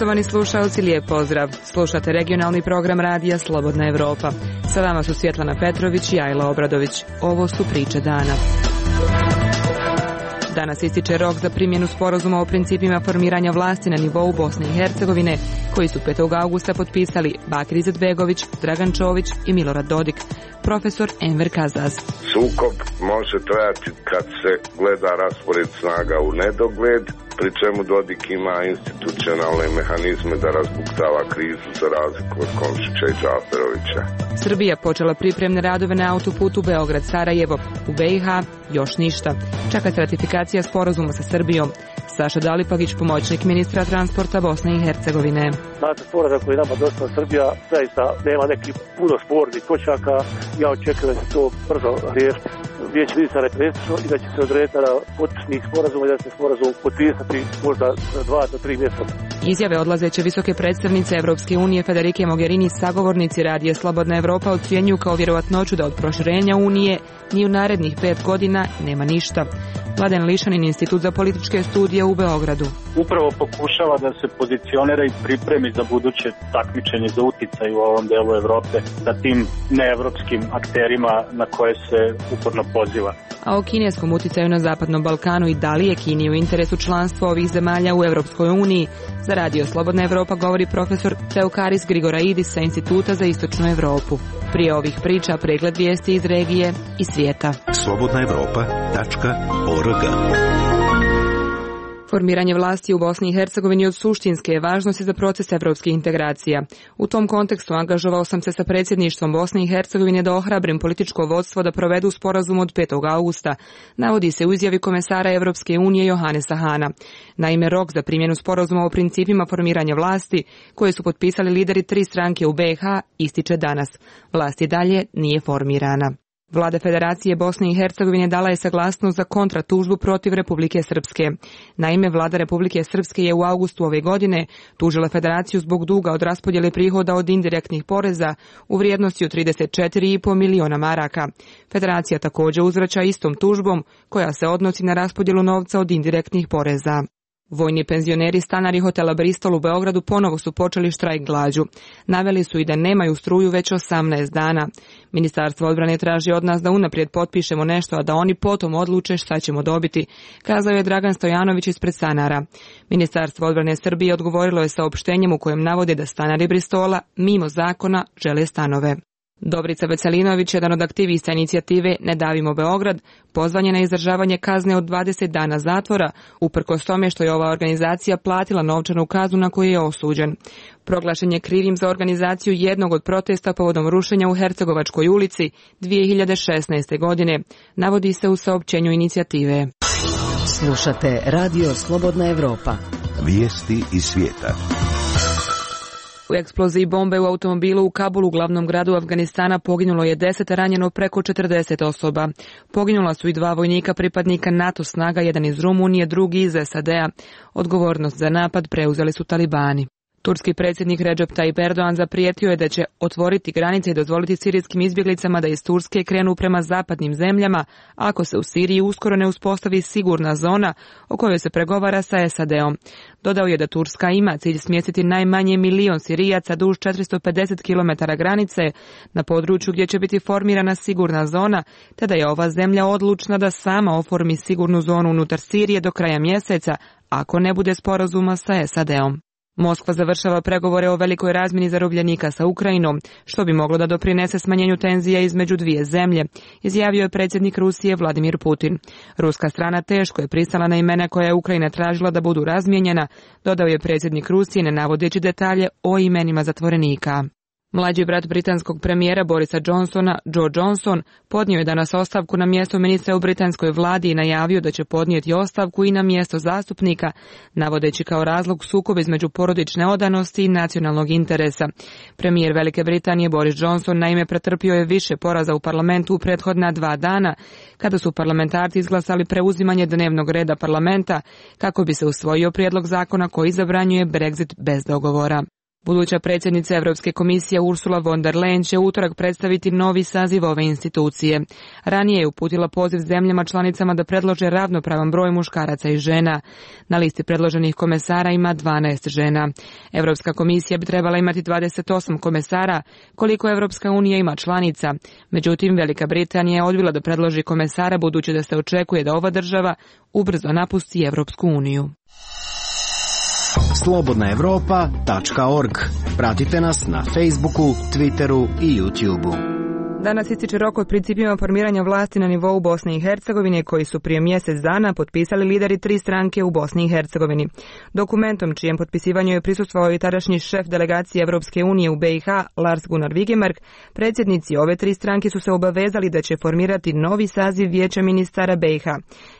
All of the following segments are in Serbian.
Poštovani slušalci, lijep pozdrav. Slušate regionalni program radija Slobodna Evropa. Sa vama su Svjetlana Petrović i Ajla Obradović. Ovo su priče dana. Danas ističe rok za primjenu sporazuma o principima formiranja vlasti na nivou Bosne i Hercegovine, koji su 5. augusta potpisali Bakir Izetbegović, Dragan Čović i Milorad Dodik. Profesor Enver Kazaz. Sukob može trajati kad se gleda raspored snaga u nedogled, pri čemu Dodik ima institucionalne mehanizme da razbuktava krizu za razliku od Komšića i Džaferovića. Srbija počela pripremne radove na autoputu Beograd-Sarajevo. U BiH još ništa. Čeka se ratifikacija sporazuma sa Srbijom. Saša Dalipagić, pomoćnik ministra transporta Bosne i Hercegovine. Znate, sporazum koji nama došla Srbija zaista nema nekih puno spornih točaka. Ja očekujem da se to brzo riješiti. Vijeće ministara je preslično i da će se odrediti na potpisnih sporazuma i da će se sporazum potpisati možda 2 do 3 mjeseca. Izjave odlazeće visoke predstavnice Evropske unije Federike Mogherini sagovornici radija Slobodna Evropa ocjenjuju kao vjerovatnoću da od proširenja Unije ni u narednih 5 godina nema ništa. Mladen Lišanin, Institut za političke studije u Beogradu. Upravo pokušava da se pozicionira i pripremi za buduće takmičenje za uticaj u ovom delu Evrope sa tim neevropskim akterima na koje se uporno poziva. A o kineskom uticaju na Zapadnom Balkanu i da li je Kini u interesu članstva ovih zemalja u Evropskoj uniji, za radio Slobodna Evropa govori profesor Teokaris Grigoraidis sa Instituta za istočnu Evropu. Prije ovih priča pregled vijesti iz regije i svijeta. slobodnaevropa.org. Formiranje vlasti u Bosni i Hercegovini od suštinske je važnosti za proces evropskih integracija. U tom kontekstu angažovao sam se sa predsjedništvom Bosne i Hercegovine da ohrabrim političko vodstvo da provedu sporazum od 5. augusta, navodi se u izjavi komesara Evropske unije Johanesa Hana. Naime, rok za primjenu sporazuma o principima formiranja vlasti, koje su potpisali lideri 3 stranke u BiH, ističe danas. Vlast i dalje nije formirana. Vlada Federacije Bosne i Hercegovine dala je saglasnost za kontratužbu protiv Republike Srpske. Naime, vlada Republike Srpske je u augustu ove godine tužila Federaciju zbog duga od raspodjele prihoda od indirektnih poreza u vrijednosti od 34,5 miliona maraka. Federacija također uzvraća istom tužbom koja se odnosi na raspodjelu novca od indirektnih poreza. Vojni penzioneri stanari hotela Bristol u Beogradu ponovo su počeli štrajk glađu. Naveli su i da nemaju struju već 18 dana. Ministarstvo odbrane traži od nas da unaprijed potpišemo nešto, a da oni potom odluče šta ćemo dobiti, kazao je Dragan Stojanović ispred stanara. Ministarstvo odbrane Srbije odgovorilo je saopštenjem u kojem navode da stanari Bristola mimo zakona žele stanove. Dobrica Veselinović, jedan od aktivista inicijative Ne davimo Beograd, pozvan je na izdržavanje kazne od 20 dana zatvora, uprkos tome što je ova organizacija platila novčanu kaznu na koju je osuđen. Proglašen je krivim za organizaciju jednog od protesta povodom rušenja u Hercegovačkoj ulici 2016. godine, navodi se u saopćenju inicijative. Slušate radio Slobodna Evropa. Vijesti iz svijeta. U eksploziji bombe u automobilu u Kabulu, glavnom gradu Afganistana, poginulo je 10, ranjeno preko 40 osoba. Poginula su i 2 vojnika pripadnika NATO snaga, jedan iz Rumunije, drugi iz SAD-a. Odgovornost za napad preuzeli su talibani. Turski predsjednik Recep Tayyip Erdogan zaprijetio je da će otvoriti granice i dozvoliti sirijskim izbjeglicama da iz Turske krenu prema zapadnim zemljama ako se u Siriji uskoro ne uspostavi sigurna zona o kojoj se pregovara sa SAD-om. Dodao je da Turska ima cilj smjestiti najmanje 1 milion Sirijaca duž 450 km granice na području gdje će biti formirana sigurna zona, te da je ova zemlja odlučna da sama oformi sigurnu zonu unutar Sirije do kraja mjeseca ako ne bude sporazuma sa SAD-om. Moskva završava pregovore o velikoj razmjeni zarobljenika sa Ukrajinom, što bi moglo da doprinese smanjenju tenzija između dvije zemlje, izjavio je predsjednik Rusije Vladimir Putin. Ruska strana teško je pristala na imena koja je Ukrajina tražila da budu razmijenjena, dodao je predsjednik Rusije ne navodeći detalje o imenima zatvorenika. Mlađi brat britanskog premijera Borisa Johnsona, Joe Johnson, podnio je danas ostavku na mjesto ministra u britanskoj vladi i najavio da će podnijeti ostavku i na mjesto zastupnika, navodeći kao razlog sukob između porodične odanosti i nacionalnog interesa. Premijer Velike Britanije Boris Johnson naime pretrpio je više poraza u parlamentu u prethodna 2 dana, kada su parlamentarci izglasali preuzimanje dnevnog reda parlamenta kako bi se usvojio prijedlog zakona koji zabranjuje Brexit bez dogovora. Buduća predsjednica Europske komisije Ursula von der Leyen će utorak predstaviti novi saziv ove institucije. Ranije je uputila poziv zemljama članicama da predlože ravnopravan broj muškaraca i žena. Na listi predloženih komesara ima 12 žena. Europska komisija bi trebala imati 28 komesara, koliko Europska unija ima članica. Međutim, Velika Britanija je odbila da predloži komesara budući da se očekuje da ova država ubrzo napusti Europsku uniju. slobodnaevropa.org. Pratite nas na Facebooku, Twitteru i YouTubeu. Danas ističe rok od principima formiranja vlasti na nivou Bosne i Hercegovine koji su prije mjesec dana potpisali lideri 3 stranke u Bosni i Hercegovini. Dokumentom čijem potpisivanju je prisustvovao i tadašnji šef delegacije Europske unije u BiH Lars Gunnar Vigemark, predsjednici ove 3 stranke su se obavezali da će formirati novi saziv Vijeća ministara BiH.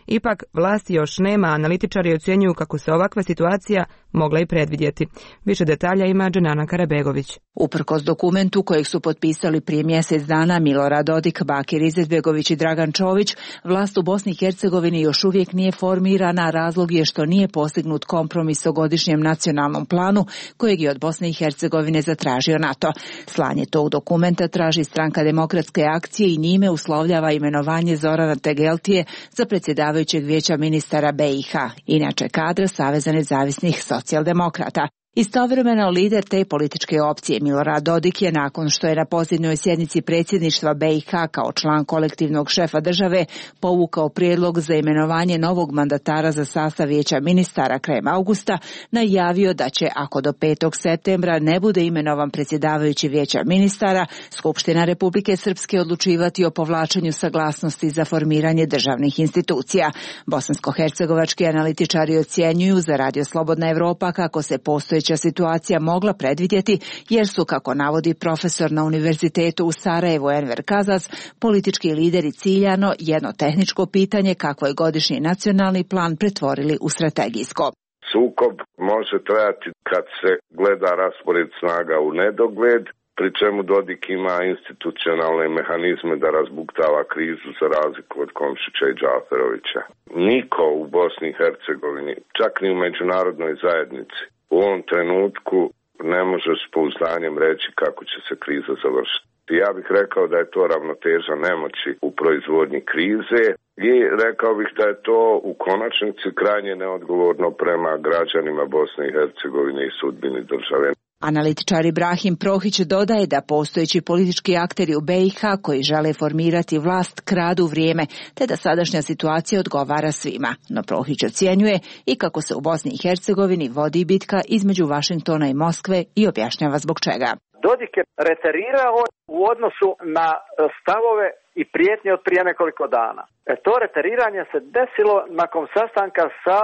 Ipak, vlasti još nema, analitičari ocjenjuju kako se ovakva situacija mogla i predvidjeti. Više detalja ima Dženana Karabegović. Uprkos dokumentu kojeg su potpisali prije mjesec dana Milorad Dodik, Bakir Izetbegović i Dragan Čović, vlast u Bosni i Hercegovini još uvijek nije formirana, razlog je što nije postignut kompromis o godišnjem nacionalnom planu kojeg je od Bosne i Hercegovine zatražio NATO. Slanje tog dokumenta traži Stranka demokratske akcije i njime uslovljava imenovanje Zorana Tegeltije za predsjedavajućeg Vijeća ministara BiH, inače kadra Saveza nezavisnih socijaldemokrata. Istovremeno lider te političke opcije Milorad Dodik je nakon što je na posljednjoj sjednici predsjedništva BiH kao član kolektivnog šefa države povukao prijedlog za imenovanje novog mandatara za sastav Vijeća ministara krajem augusta, najavio da će, ako do 5. septembra ne bude imenovan predsjedavajući Vijeća ministara, Skupština Republike Srpske odlučivati o povlačenju saglasnosti za formiranje državnih institucija. Bosansko-hercegovački analitičari ocjenjuju za Radio Slobodna Evropa kako se postojeća situacija mogla predvidjeti jer su, kako navodi profesor na Univerzitetu u Sarajevu Enver Kazas, politički lideri ciljano jedno tehničko pitanje kako je godišnji nacionalni plan pretvorili u strategijsko. Sukob može trajati kad se gleda raspored snaga u nedogled, pri čemu Dodik ima institucionalne mehanizme da razbuktava krizu za razliku od Komšića i Džaferovića. Niko u Bosni i Hercegovini, čak ni u međunarodnoj zajednici, u ovom trenutku ne može s pouzdanjem reći kako će se kriza završiti. Ja bih rekao da je to ravnoteža nemoći u proizvodnji krize i rekao bih da je to u konačnici krajnje neodgovorno prema građanima Bosne i Hercegovine i sudbini države. Analitičar Ibrahim Prohić dodaje da postojeći politički akteri u BiH koji žele formirati vlast kradu vrijeme, te da sadašnja situacija odgovara svima. No Prohić ocjenjuje i kako se u Bosni i Hercegovini vodi bitka između Vašingtona i Moskve i objašnjava zbog čega. Dodik je reterirao u odnosu na stavove i prijetnje od prije nekoliko dana. To reteriranje se desilo nakon sastanka sa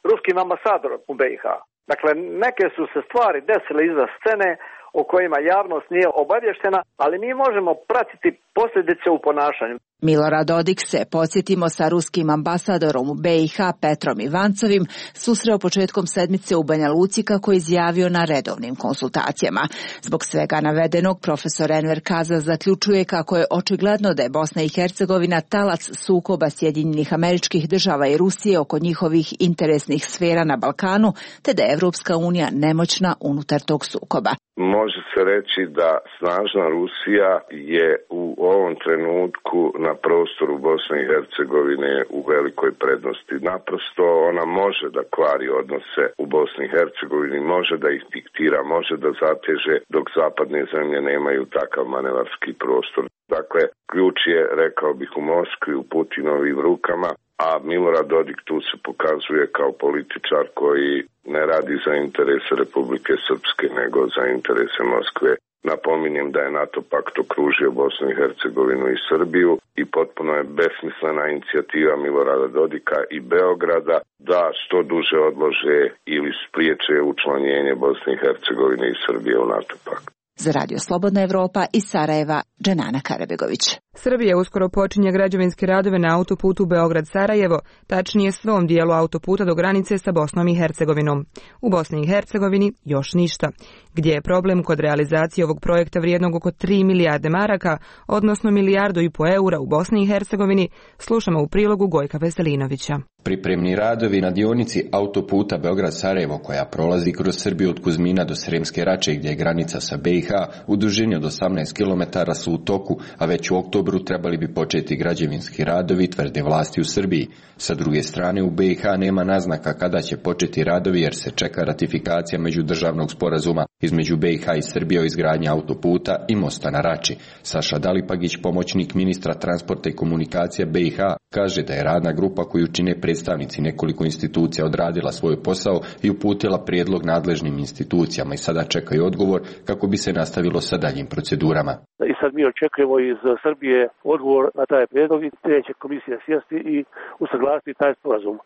ruskim ambasadorom u BiH. Dakle, neke su se stvari desile iza scene o kojima javnost nije obavještena, ali mi možemo pratiti posljedice u ponašanju. Milorad Dodik se, podsjetimo, sa ruskim ambasadorom u BiH Petrom Ivancovim susreo početkom sedmice u Banja Luci kako je izjavio na redovnim konsultacijama. Zbog svega navedenog, profesor Enver Kazas zaključuje kako je očigledno da je Bosna i Hercegovina talac sukoba Sjedinjenih Američkih Država i Rusije oko njihovih interesnih sfera na Balkanu, te da je Evropska unija nemoćna unutar tog sukoba. Može se reći da snažna Rusija je u ovom trenutku na prostoru Bosne i Hercegovine u velikoj prednosti. Naprosto ona može da kvari odnose u Bosni i Hercegovini, može da ih diktira, može da zateže, dok zapadne zemlje nemaju takav manevarski prostor. Dakle, ključ je, rekao bih, u Moskvi, u Putinovim rukama, a Milorad Dodik tu se pokazuje kao političar koji ne radi za interese Republike Srpske, nego za interese Moskve. Napominjem da je NATO pakt okružio Bosnu i Hercegovinu i Srbiju i potpuno je besmislena inicijativa Milorada Dodika i Beograda da što duže odlože ili spriječe učlanjenje Bosne i Hercegovine i Srbije u NATO pakt. Za Radio Slobodna Evropa iz Sarajeva, Dženana Karabegović. Srbija uskoro počinje građevinske radove na autoputu Beograd-Sarajevo, tačnije svom dijelu autoputa do granice sa Bosnom i Hercegovinom. U Bosni i Hercegovini još ništa. Gdje je problem kod realizacije ovog projekta vrijednog oko 3 milijarde maraka, odnosno 1,5 milijardu eura u Bosni i Hercegovini, slušamo u prilogu Gojka Veselinovića. Pripremni radovi na dionici autoputa Beograd-Sarajevo, koja prolazi kroz Srbiju od Kuzmina do Sremske Rače, gdje je granica sa BiH, u dužini od 18 km su u toku, a već u oktobru trebali bi početi građevinski radovi, tvrde vlasti u Srbiji. Sa druge strane, u BiH nema naznaka kada će početi radovi jer se čeka ratifikacija međudržavnog sporazuma između BiH i Srbije o izgradnji autoputa i mosta na Rači. Saša Dalipagić, pomoćnik ministra transporta i komunikacija BiH, kaže da je radna grupa koju čine predstavnici nekoliko institucija odradila svoj posao i uputila prijedlog nadležnim institucijama i sada čekaju odgovor kako bi se nastavilo sa daljim procedurama. I sad mi očekujemo iz Srbije odgovor na taj prijedlog i te će komisija sjesti i usaglasiti taj sporazum.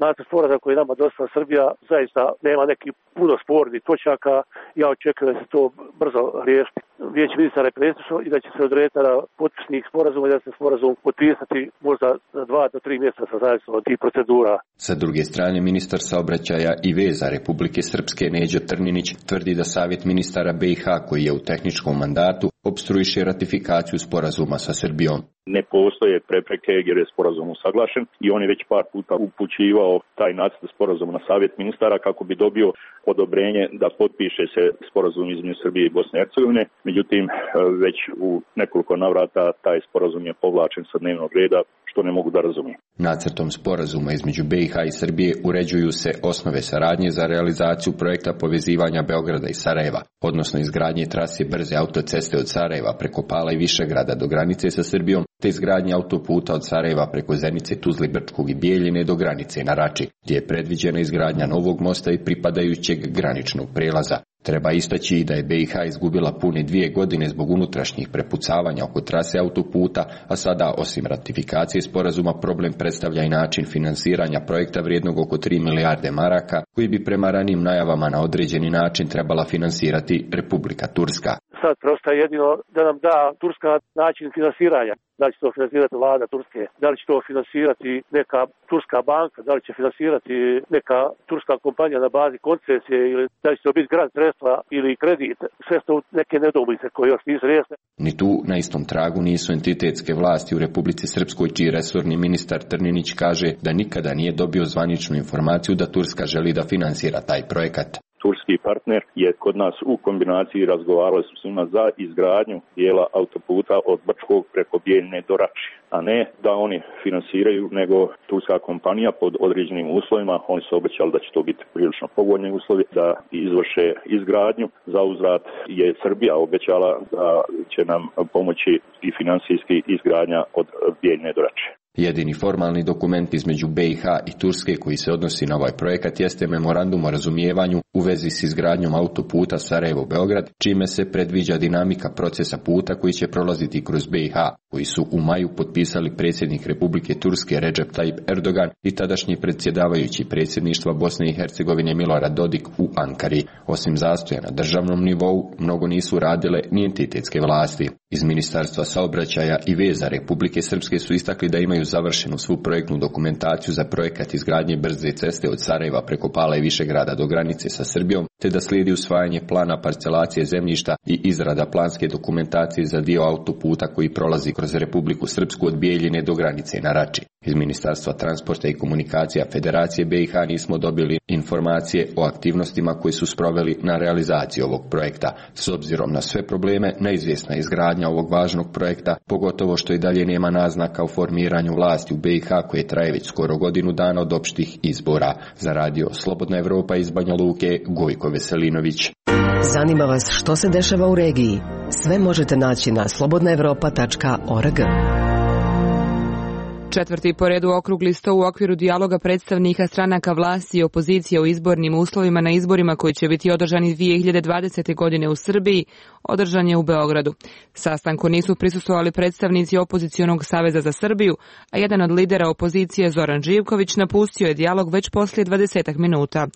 Nacrt sporazuma koji je nama dostavila Srbija zaista nema neki puno spornih točaka. Ja očekujem da se to brzo riješiti. Vijeće ministara je predsjedništvo i da će se odrediti na potpisnik sporazuma i da se sporazum potpisati možda za 2 do 3 mjeseca zavisno od tih procedura. Sa druge strane, ministar saobraćaja i veza Republike Srpske Neđo Trninić tvrdi da Savjet ministara BiH, koji je u tehničkom mandatu, opstruiše ratifikaciju sporazuma sa Srbijom. Ne postoje prepreke jer je sporazum usaglašen i on je već par puta upućivao taj nacrt sporazuma na Savjet ministara kako bi dobio odobrenje da potpiše se sporazum između Srbije i Bosne i Hercegovine. Međutim, već u nekoliko navrata taj sporazum je povlačen sa dnevnog reda, što ne mogu da razumijem. Nacrtom sporazuma između BiH i Srbije uređuju se osnove saradnje za realizaciju projekta povezivanja Beograda i Sarajeva, odnosno izgradnje trase brze autoceste od Sarajeva preko Pala i Višegrada do granice sa Srbijom, te izgradnje autoputa od Sarajeva preko Zenice, Tuzle, Brčkog i Bijeljine do granice na Rači, gdje je predviđena izgradnja novog mosta i pripadajućeg graničnog prelaza. Treba istaći i da je BiH izgubila pune 2 godine zbog unutrašnjih prepucavanja oko trase autoputa, a sada, osim ratifikacije sporazuma, problem predstavlja i način finansiranja projekta vrijednog oko 3 milijarde maraka, koji bi prema ranijim najavama na određeni način trebala finansirati Republika Turska. Sad preostaje jedino da nam da Turska način finansiranja. Da li će to finansirati vlada Turske, da li će to finansirati neka turska banka, da li će finansirati neka turska kompanija na bazi koncesije ili da li će to biti grant sredstva ili kredit. Sve su neke nedoumice koje još nisu riješene. Ni tu na istom tragu nisu entitetske vlasti u Republici Srpskoj, čiji resorni ministar Trninić kaže da nikada nije dobio zvaničnu informaciju da Turska želi da finansira taj projekat. Turski partner je kod nas u kombinaciji razgovarali su s njima za izgradnju dijela autoputa od Brčkog preko Bijeljine do Rači, a ne da oni finansiraju, nego turska kompanija pod određenim uslovima. Oni su obećali da će to biti prilično povoljni uslovi, da izvrše izgradnju. Za uzvrat je Srbija obećala da će nam pomoći i finansijski izgradnja od Bijeljine do Rači. Jedini formalni dokument između BiH i Turske koji se odnosi na ovaj projekat jeste memorandum o razumijevanju u vezi s izgradnjom autoputa Sarajevo-Beograd, čime se predviđa dinamika procesa puta koji će prolaziti kroz BiH, koji su u maju potpisali predsjednik Republike Turske Recep Tayyip Erdogan i tadašnji predsjedavajući predsjedništva Bosne i Hercegovine Milorad Dodik u Ankari. Osim zastoja na državnom nivou, mnogo nisu radile ni entitetske vlasti. Iz Ministarstva saobraćaja i veza Republike Srpske su istakli da imaju završenu svu projektnu dokumentaciju za projekat izgradnje brze ceste od Sarajeva preko Pala i Višegrada do granice sa Srbijom, te da slijedi usvajanje plana parcelacije zemljišta i izrada planske dokumentacije za dio autoputa koji prolazi kroz Republiku Srpsku od Bijeljine do granice na Rači. Iz Ministarstva transporta i komunikacija Federacije BiH nismo dobili informacije o aktivnostima koji su sproveli na realizaciji ovog projekta. S obzirom na sve probleme, neizvjesna izgradnja ovog važnog projekta, pogotovo što i dalje nema naznaka o formiranju vlasti u BiH koje traje već skoro godinu dana od opštih izbora. Za radio Slobodna Evropa iz Banja Luke, Gojko Veselinović. Zanima vas što se dešava u regiji? Sve možete naći na slobodnaevropa.org. Četvrti po redu okrugli sto u okviru dijaloga predstavnika stranaka vlasti i opozicije o izbornim uslovima na izborima koji će biti održani 2020. godine u Srbiji, održan je u Beogradu. Sastanku nisu prisustvovali predstavnici opozicionog Saveza za Srbiju, a jedan od lidera opozicije, Zoran Živković, napustio je dijalog već poslije 20 minuta.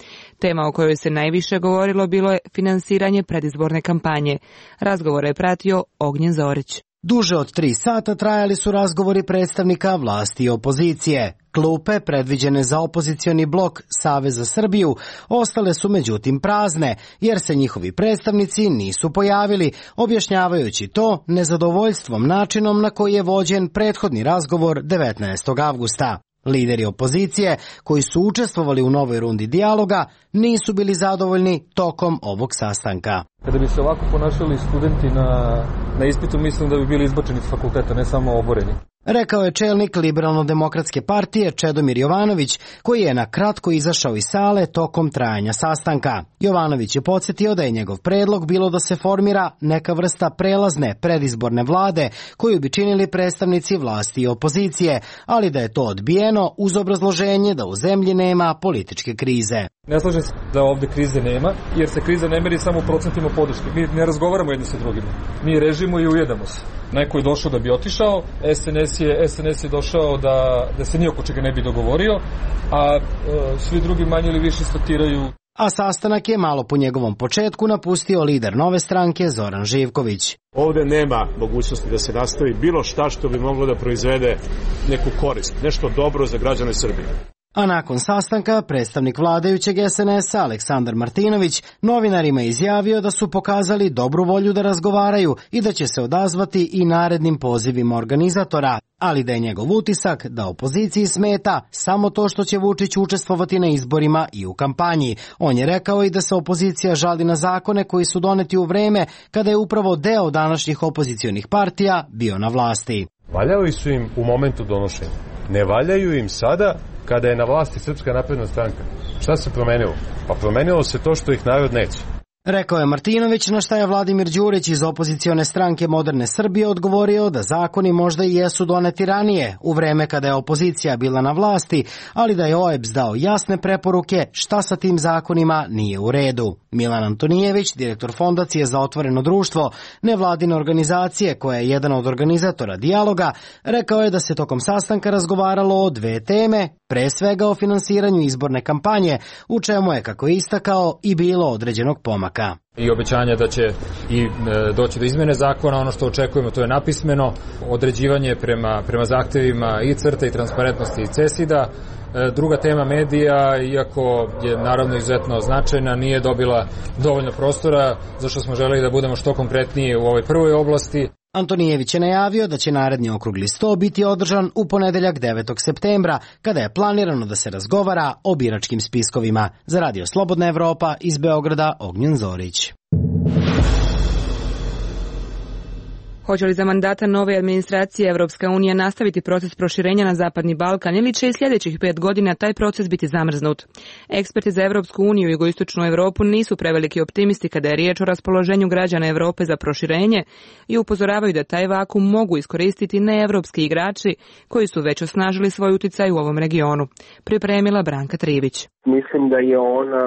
Tema o kojoj se najviše govorilo bilo je finansiranje predizborne kampanje. Razgovor je pratio Ognjen Zorić. Duže od 3 sata trajali su razgovori predstavnika vlasti i opozicije. Klupe, predviđene za opozicioni blok Savez za Srbiju, ostale su međutim prazne, jer se njihovi predstavnici nisu pojavili, objašnjavajući to nezadovoljstvom načinom na koji je vođen prethodni razgovor 19. avgusta. Lideri opozicije, koji su učestvovali u novoj rundi dijaloga, nisu bili zadovoljni tokom ovog sastanka. Kada bi se ovako ponašali studenti na ispitu, mislim da bi bili izbačeni iz fakulteta, ne samo oboreni. Rekao je čelnik Liberalno-demokratske partije Čedomir Jovanović, koji je na kratko izašao iz sale tokom trajanja sastanka. Jovanović je podsjetio da je njegov predlog bilo da se formira neka vrsta prelazne predizborne vlade koju bi činili predstavnici vlasti i opozicije, ali da je to odbijeno uz obrazloženje da u zemlji nema političke krize. Ne slažem se da ovde krize nema, jer se kriza ne meri samo u procentima podrške. Mi ne razgovaramo jedni sa drugima. Mi režimo i ujedamo se. Neko je došao da bi otišao, SNS je došao da se ni oko čega ne bi dogovorio, a svi drugi manje ili više statiraju. A sastanak je malo po njegovom početku napustio lider Nove stranke Zoran Živković. Ovde nema mogućnosti da se nastavi bilo šta što bi moglo da proizvede neku korist, nešto dobro za građane Srbije. A nakon sastanka, predstavnik vladajućeg SNS-a Aleksandar Martinović novinarima izjavio da su pokazali dobru volju da razgovaraju i da će se odazvati i narednim pozivima organizatora, ali da je njegov utisak da opoziciji smeta samo to što će Vučić učestvovati na izborima i u kampanji. On je rekao i da se opozicija žali na zakone koji su doneti u vreme kada je upravo deo današnjih opozicionih partija bio na vlasti. Valjali su im u momentu donošenja. Ne valjaju im sada kada je na vlasti Srpska napredna stranka. Šta se promenilo? Pa promenilo se to što ih narod neće. Rekao je Martinović, na šta je Vladimir Đurić iz opozicione stranke Moderne Srbije odgovorio da zakoni možda i jesu doneti ranije, u vreme kada je opozicija bila na vlasti, ali da je OEBS dao jasne preporuke šta sa tim zakonima nije u redu. Milan Antonijević, direktor Fondacije za otvoreno društvo, nevladine organizacije koja je jedan od organizatora dijaloga, rekao je da se tokom sastanka razgovaralo o 2 teme, pre svega o finansiranju izborne kampanje, u čemu je, kako je istakao, i bilo određenog pomaka. I obećanja da će i doći do izmene zakona, ono što očekujemo to je napismeno, određivanje prema zahtevima i CRTA i transparentnosti i CESID-a. Druga tema medija, iako je naravno izuzetno značajna, nije dobila dovoljno prostora, zašto smo želeli da budemo što konkretniji u ovoj prvoj oblasti. Antonijević je najavio da će naredni okrugli sto biti održan u ponedeljak 9. septembra, kada je planirano da se razgovara o biračkim spiskovima. Za Radio Slobodna Evropa iz Beograda, Ognjen Zorić. Hoće li za mandata nove administracije Evropska unija nastaviti proces proširenja na Zapadni Balkan ili će i sljedećih 5 godina taj proces biti zamrznut? Eksperti za Evropsku uniju i jugoistočnu Evropu nisu preveliki optimisti kada je riječ o raspoloženju građana Evrope za proširenje i upozoravaju da taj vakum mogu iskoristiti neevropski igrači koji su već osnažili svoj uticaj u ovom regionu. Pripremila Branka Trivić. Mislim da je ona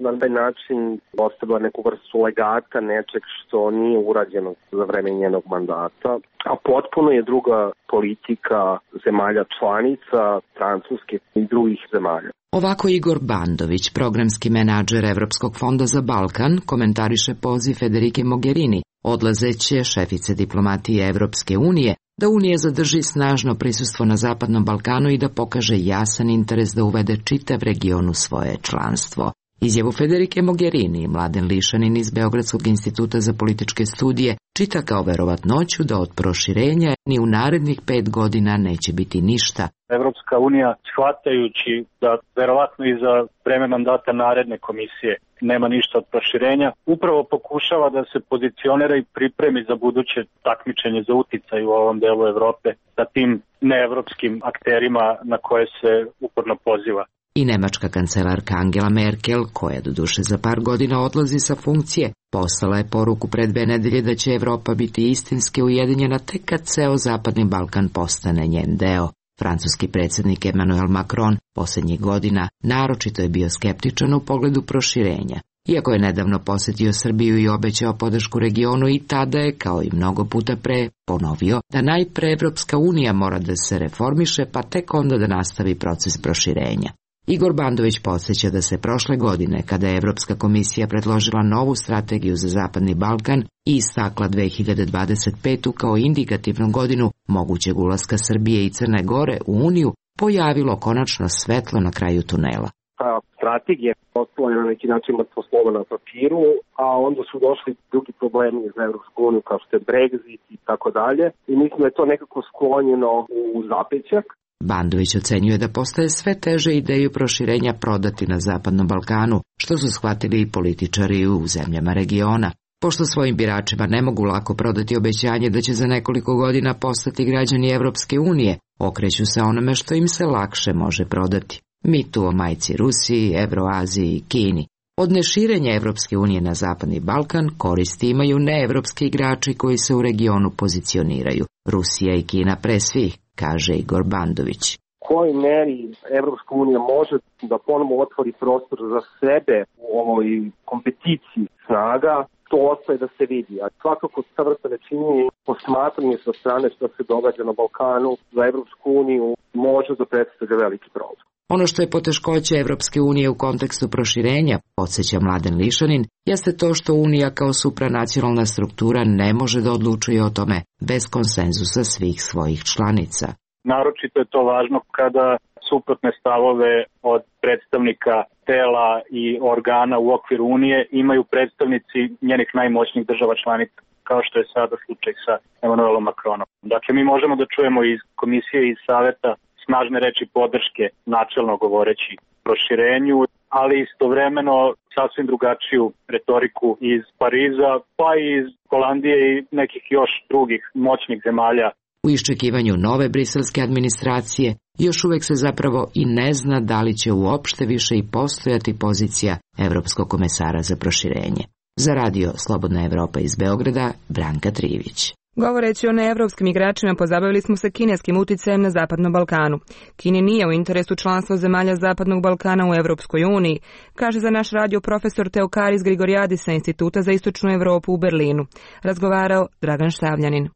na taj način ostavila neku vrstu legata, nečeg što nije urađeno za vreme njenog mandata, a potpuno je druga politika zemalja članica, Francuske i drugih zemalja. Ovako Igor Bandović, programski menadžer Evropskog fonda za Balkan, komentariše poziv Federike Mogherini, odlazeće šefice diplomatije Evropske unije, da Unija zadrži snažno prisustvo na Zapadnom Balkanu i da pokaže jasan interes da uvede čitav region u svoje članstvo. Izjavu Federike Mogherini, Mladen Lišanin iz Beogradskog instituta za političke studije, čita kao verovatnoću da od proširenja ni u narednih 5 godina neće biti ništa. Evropska unija, shvatajući da verovatno i za vreme mandata naredne komisije nema ništa od proširenja, upravo pokušava da se pozicionira i pripremi za buduće takmičenje za uticaj u ovom delu Evrope sa tim neevropskim akterima na koje se uporno poziva. I nemačka kancelarka Angela Merkel, koja doduše za par godina odlazi sa funkcije, poslala je poruku pred 2 nedelje da će Evropa biti istinski ujedinjena tek kad ceo Zapadni Balkan postane njen deo. Francuski predsjednik Emmanuel Macron posljednjih godina naročito je bio skeptičan u pogledu proširenja. Iako je nedavno posjetio Srbiju i obećao podršku regionu, i tada je, kao i mnogo puta pre, ponovio da najpre Evropska unija mora da se reformiše, pa tek onda da nastavi proces proširenja. Igor Bandović podsjeća da se prošle godine, kada je Evropska komisija predložila novu strategiju za Zapadni Balkan i istakla 2025. kao indikativnu godinu mogućeg ulaska Srbije i Crne Gore u Uniju, pojavilo konačno svetlo na kraju tunela. Ta strategija ostala je na neki način mrtvo slovo na papiru, a onda su došli drugi problemi za Evropsku uniju kao što je Brexit i tako dalje. I mislim da je to nekako sklonjeno u zapećak. Bandović ocenjuje da postaje sve teže ideju proširenja prodati na Zapadnom Balkanu, što su shvatili i političari u zemljama regiona. Pošto svojim biračima ne mogu lako prodati obećanje da će za nekoliko godina postati građani Evropske unije, okreću se onome što im se lakše može prodati. Mitu o majci Rusiji, Evroaziji i Kini. Od neširenja Evropske unije na Zapadni Balkan koristi imaju neevropski igrači koji se u regionu pozicioniraju. Rusija i Kina pre svih, kaže Igor Bandović. Kojoj meri Evropska unija može da ponovo otvori prostor za sebe u ovoj kompeticiji snaga, to ostaje da se vidi. A svakako ta vrsta nečinjenja posmatranje sa strane što se događa na Balkanu za Evropsku uniju može da predstavlja veliki problem. Ono što je poteškoće Evropske unije u kontekstu proširenja, podsjeća Mladen Lišanin, jeste to što Unija kao supranacionalna struktura ne može da odlučuje o tome bez konsenzusa svih svojih članica. Naročito je to važno kada suprotne stavove od predstavnika tela i organa u okviru Unije imaju predstavnici njenih najmoćnijih država članica, kao što je sada slučaj sa Emmanuelom Macronom. Dakle, mi možemo da čujemo iz komisije i iz saveta snažne reči podrške, načelno govoreći proširenju, ali istovremeno sasvim drugačiju retoriku iz Pariza, pa i iz Holandije i nekih još drugih moćnih zemalja. U iščekivanju nove briselske administracije još uvek se zapravo i ne zna da li će uopšte više i postojati pozicija Evropskog komesara za proširenje. Za radio Slobodna Evropa iz Beograda, Branka Trivić. Govoreći o neevropskim igračima, pozabavili smo se kineskim uticajem na Zapadnom Balkanu. Kini nije u interesu članstva zemalja Zapadnog Balkana u Evropskoj uniji, kaže za naš radio profesor Teokaris Grigoriadis sa Instituta za istočnu Evropu u Berlinu. Razgovarao Dragan Štavljanin.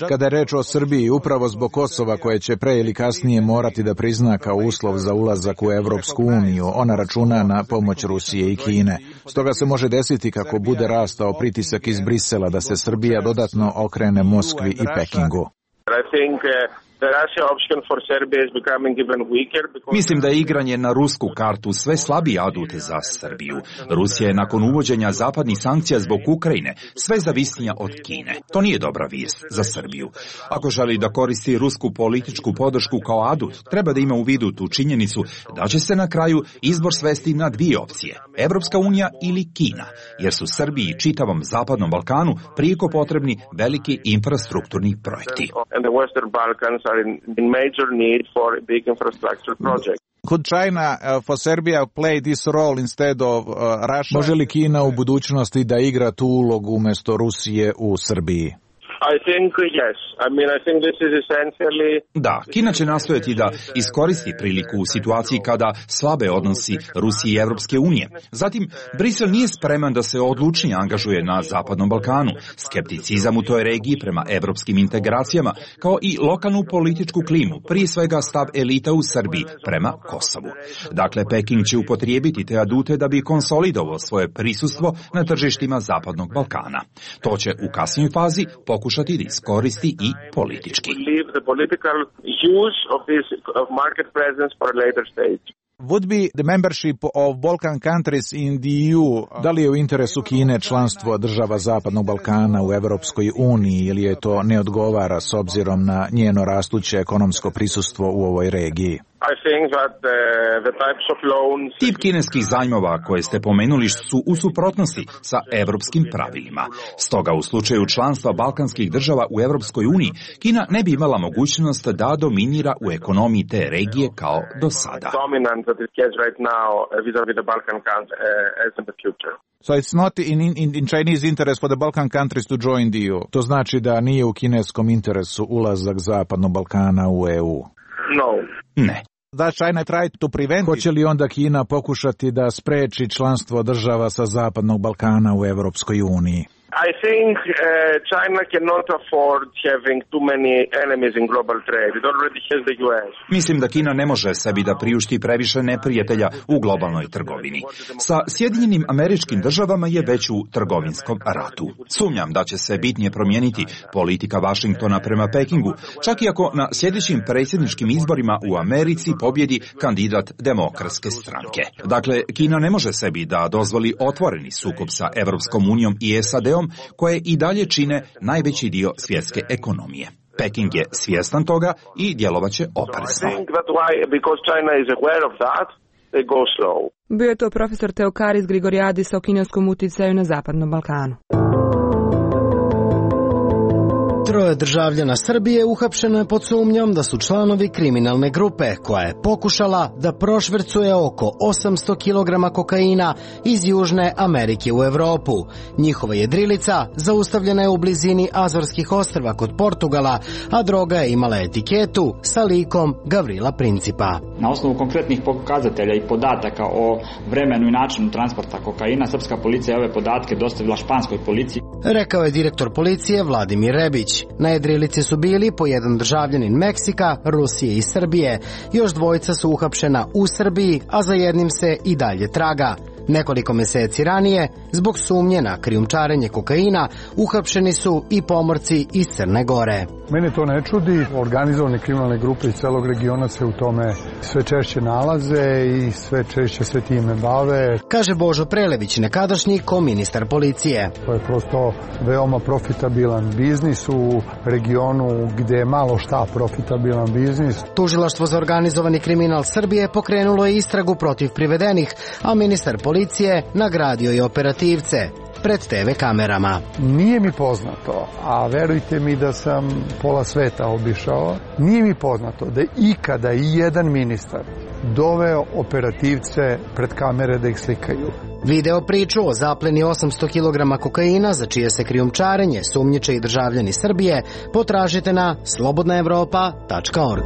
Kada je reč o Srbiji, upravo zbog Kosova koje će pre ili kasnije morati da prizna kao uslov za ulazak u Evropsku uniju, ona računa na pomoć Rusije i Kine. Stoga se može desiti kako bude rastao pritisak iz Brisela da se Srbija dodatno okrene Moskvi i Pekingu. Mislim da je igranje na rusku kartu sve slabiji adut za Srbiju. Rusija je nakon uvođenja zapadnih sankcija zbog Ukrajine sve zavisnija od Kine. To nije dobra vijest za Srbiju. Ako želi da koristi rusku političku podršku kao adut, treba da ima u vidu tu činjenicu da će se na kraju izbor svesti na dvije opcije, Evropska unija ili Kina, jer su Srbiji i čitavom Zapadnom Balkanu prijeko potrebni veliki infrastrukturni projekti. Are in major need for big infrastructure projects. Could China for Serbia play this role instead of Russia? Može li Kina u budućnosti da igra tu ulogu umjesto Rusije u Srbiji? I think yes. I think this is essentially... Da, Kina će nastojati da iskoristi priliku u situaciji kada slabe odnosi Rusije i Evropske unije. Zatim, Brisel nije spreman da se odlučnije angažuje na Zapadnom Balkanu. Skepticizam u toj regiji prema evropskim integracijama, kao i lokalnu političku klimu, prije svega stav elita u Srbiji prema Kosovu. Dakle, Peking će upotrijebiti te adute da bi konsolidovao svoje prisustvo na tržištima Zapadnog Balkana. To će u kasnijoj fazi pokušati da iskoristi i politički. Would be the membership of Balkan countries in the EU, da li je u interesu Kine članstvo država Zapadnog Balkana u Evropskoj uniji ili je to ne odgovara s obzirom na njeno rastuće ekonomsko prisustvo u ovoj regiji? Tip kineskih zajmova koje ste pomenuli su u suprotnosti sa evropskim pravilima. Stoga u slučaju članstva balkanskih država u Evropskoj uniji, Kina ne bi imala mogućnost da dominira u ekonomiji te regije kao do sada. So it's not in Chinese interest for the Balkan countries to join the EU. To znači da nije u kineskom interesu ulazak Zapadnog Balkana u EU. No. Ne. Da China try to prevent. Hoće li onda Kina pokušati da spreči članstvo država sa Zapadnog Balkana u Evropskoj uniji? I think China cannot afford having too many enemies in global trade. It already has the US. Mislim da Kina ne može sebi da priušti previše neprijatelja u globalnoj trgovini. Sa Sjedinjenim Američkim Državama je već u trgovinskom ratu. Sumnjam da će se bitnije promijeniti politika Vašingtona prema Pekingu, čak i ako na sljedećim predsjedničkim izborima u Americi pobjedi kandidat Demokratske stranke. Dakle, Kina ne može sebi da dozvoli otvoreni sukob sa Evropskom unijom i SAD-om, koje i dalje čine najveći dio svjetske ekonomije. Peking je svjestan toga i djelovaće oprezno. Bio je to profesor Teokaris Grigoriadis o kineskom uticaju na Zapadnom Balkanu. 3 državljana Srbije uhapšeno je pod sumnjom da su članovi kriminalne grupe koja je pokušala da prošvercuje oko 800 kg kokaina iz Južne Amerike u Evropu. Njihova jedrilica zaustavljena je u blizini Azorskih ostrva kod Portugala, a droga je imala etiketu sa likom Gavrila Principa. Na osnovu konkretnih pokazatelja i podataka o vremenu i načinu transporta kokaina, srpska policija je ove podatke dostavila španskoj policiji. Rekao je direktor policije Vladimir Rebić. Na jedrilici su bili po jedan državljanin Meksika, Rusije i Srbije. Još 2 su uhapšena u Srbiji, a za jednim se i dalje traga. Nekoliko mjeseci ranije, zbog sumnje na krijumčarenje kokaina, uhapšeni su i pomorci iz Crne Gore. Mene to ne čudi, organizovane kriminalne grupe iz celog regiona se u tome sve češće nalaze i sve češće se time bave. Kaže Božo Prelević, nekadašnji koministar policije. To je prosto veoma profitabilan biznis u regionu gdje je malo šta profitabilan biznis. Tužilaštvo za organizovani kriminal Srbije pokrenulo je istragu protiv privedenih, a ministar policije nagradio je operativce pred TV kamerama. Nije mi poznato, a verujte mi da sam pola sveta obišao, nije mi poznato da je ikada i jedan ministar doveo operativce pred kamere da ih slikaju. Video priču o zapleni 800 kg kokaina za čije se krijumčarenje sumnjiče i državljani Srbije potražite na slobodnaevropa.org.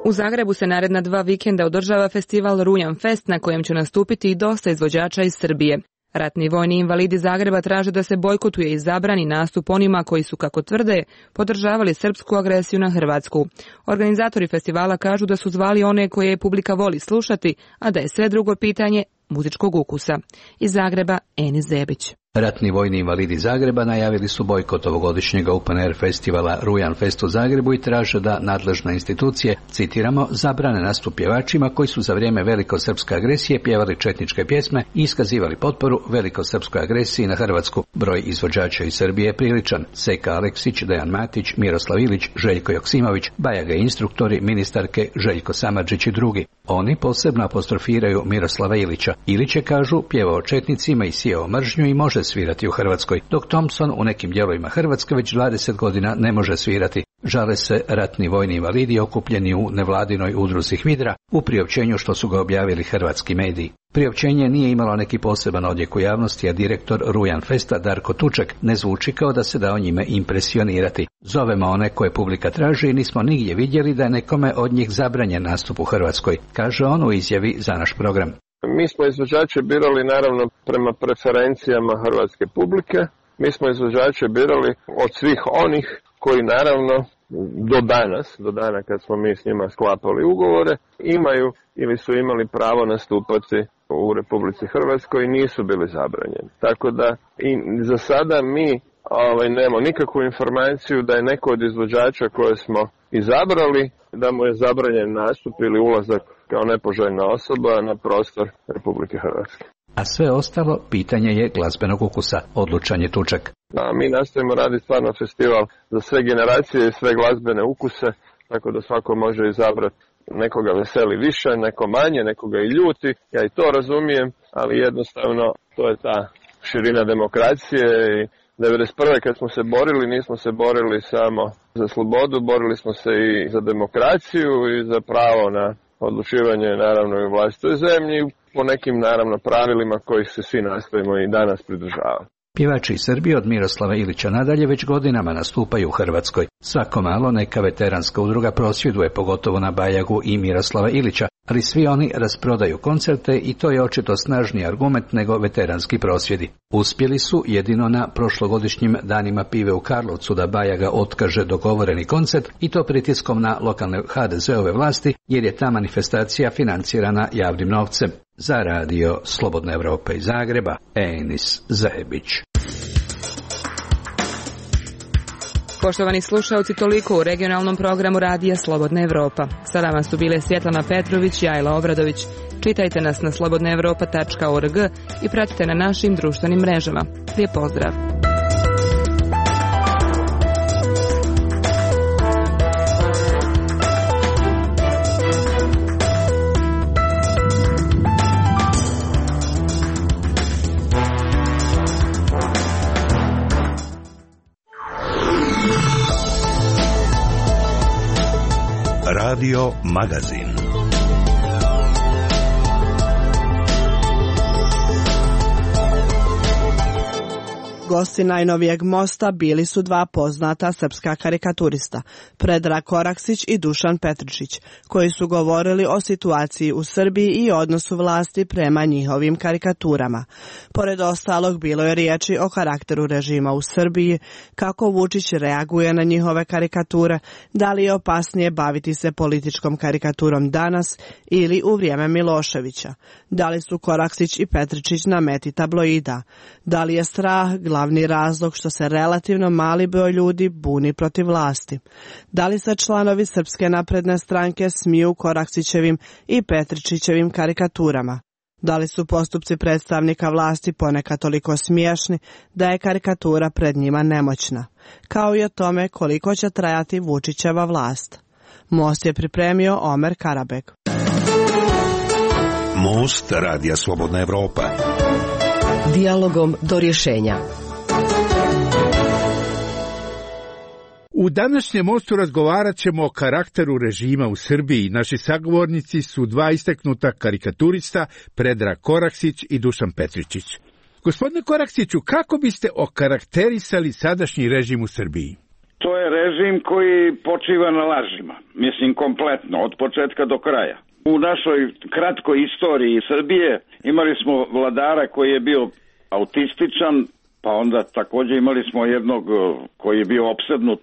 U Zagrebu se naredna 2 vikenda održava festival Rujan Fest na kojem će nastupiti i dosta izvođača iz Srbije. Ratni vojni invalidi Zagreba traže da se bojkotuje i zabrani nastup onima koji su, kako tvrde, podržavali srpsku agresiju na Hrvatsku. Organizatori festivala kažu da su zvali one koje publika voli slušati, a da je sve drugo pitanje muzičkog ukusa. Iz Zagreba, Enis Zebić. Ratni vojni invalidi Zagreba najavili su bojkot ovogodišnjeg Open Air festivala Rujan Fest u Zagrebu i traže da nadležne institucije, citiramo, zabrane nastup pjevačima koji su za vrijeme velikosrpske agresije pjevali četničke pjesme i iskazivali potporu velikosrpskoj agresiji na Hrvatsku. Broj izvođača iz Srbije je priličan. Seka Aleksić, Dejan Matić, Miroslav Ilić, Željko Joksimović, Bajaga instruktori, ministarke Željko Samardžić i drugi. Oni posebno apostrofiraju Miroslava Ilića. Ilić je, kažu, pjevao četnicima i sijao mržnju i može svirati u Hrvatskoj, dok Thompson u nekim dijelovima Hrvatske već 20 godina ne može svirati. Žale se ratni vojni invalidi okupljeni u nevladinoj udruzi HVIDRA u priopćenju što su ga objavili hrvatski mediji. Priopćenje nije imalo neki poseban odjek u javnosti, a direktor Rujan Festa Darko Tuček ne zvuči kao da se dao njime impresionirati. Zovemo one koje publika traži i nismo nigdje vidjeli da je nekome od njih zabranjen nastup u Hrvatskoj, kaže on u izjavi za naš program. Mi smo izvođače birali naravno prema preferencijama hrvatske publike. Mi smo izvođače birali od svih onih koji naravno do dana kad smo mi s njima sklapali ugovore, imaju ili su imali pravo nastupati u Republici Hrvatskoj i nisu bili zabranjeni. Tako da i za sada mi nemamo nikakvu informaciju da je neko od izvođača koje smo izabrali da mu je zabranjen nastup ili ulazak kao nepoželjna osoba na prostor Republike Hrvatske. A sve ostalo pitanje je glazbenog ukusa, odlučan je Tuček. Mi nastojimo raditi stvarno festival za sve generacije i sve glazbene ukuse, tako da svako može izabrati. Nekoga veseli više, neko manje, nekoga i ljuti, ja i to razumijem, ali jednostavno to je ta širina demokracije i 1991. kad smo se borili, nismo se borili samo za slobodu, borili smo se i za demokraciju i za pravo na odlučivanje naravno i u vlastitoj zemlji po nekim naravno pravilima kojih se svi nastojimo i danas pridržavati. Pjevači iz Srbije od Miroslava Ilića nadalje već godinama nastupaju u Hrvatskoj. Svako malo neka veteranska udruga prosvjeduje, pogotovo na Bajagu i Miroslava Ilića, ali svi oni rasprodaju koncerte i to je očito snažniji argument nego veteranski prosvjedi. Uspjeli su jedino na prošlogodišnjim danima pive u Karlovcu da Bajaga otkaže dogovoreni koncert i to pritiskom na lokalne HDZ-ove vlasti jer je ta manifestacija financirana javnim novcem. Za radio Slobodna Evropa iz Zagreba, Enis Zajebić. Poštovani slušalci, toliko u regionalnom programu radija Slobodna Evropa. Sa vama su bile Svjetlana Petrović i Ajla Obradović. Čitajte nas na slobodnaevropa.org i pratite na našim društvenim mrežama. Lijep pozdrav! Radio Magazin. Gosti najnovijeg mosta bili su dva poznata srpska karikaturista, Predrag Koraksić i Dušan Petričić, koji su govorili o situaciji u Srbiji i odnosu vlasti prema njihovim karikaturama. Pored ostalog, bilo je riječi o karakteru režima u Srbiji, kako Vučić reaguje na njihove karikature, da li je opasnije baviti se političkom karikaturom danas ili u vrijeme Miloševića, da li su Koraksić i Petričić na meti tabloida, da li je strah glavni razlog što se relativno mali broj ljudi buni protiv vlasti. Da li se članovi Srpske napredne stranke smiju Koraksićevim i Petričićevim karikaturama? Da li su postupci predstavnika vlasti ponekad toliko smiješni da je karikatura pred njima nemoćna? Kao i o tome koliko će trajati Vučićeva vlast. Most je pripremio Omer Karabek. Most radija Slobodna Evropa. Dijalogom do rješenja. U današnjem mostu razgovarat ćemo o karakteru režima u Srbiji. Naši sagovornici su dva istaknuta karikaturista, Predrag Koraksić i Dušan Petričić. Gospodine Koraksiću, kako biste okarakterisali sadašnji režim u Srbiji? To je režim koji počiva na lažima. Mislim, kompletno, od početka do kraja. U našoj kratkoj istoriji Srbije imali smo vladara koji je bio autističan, pa onda također imali smo jednog koji je bio opsednut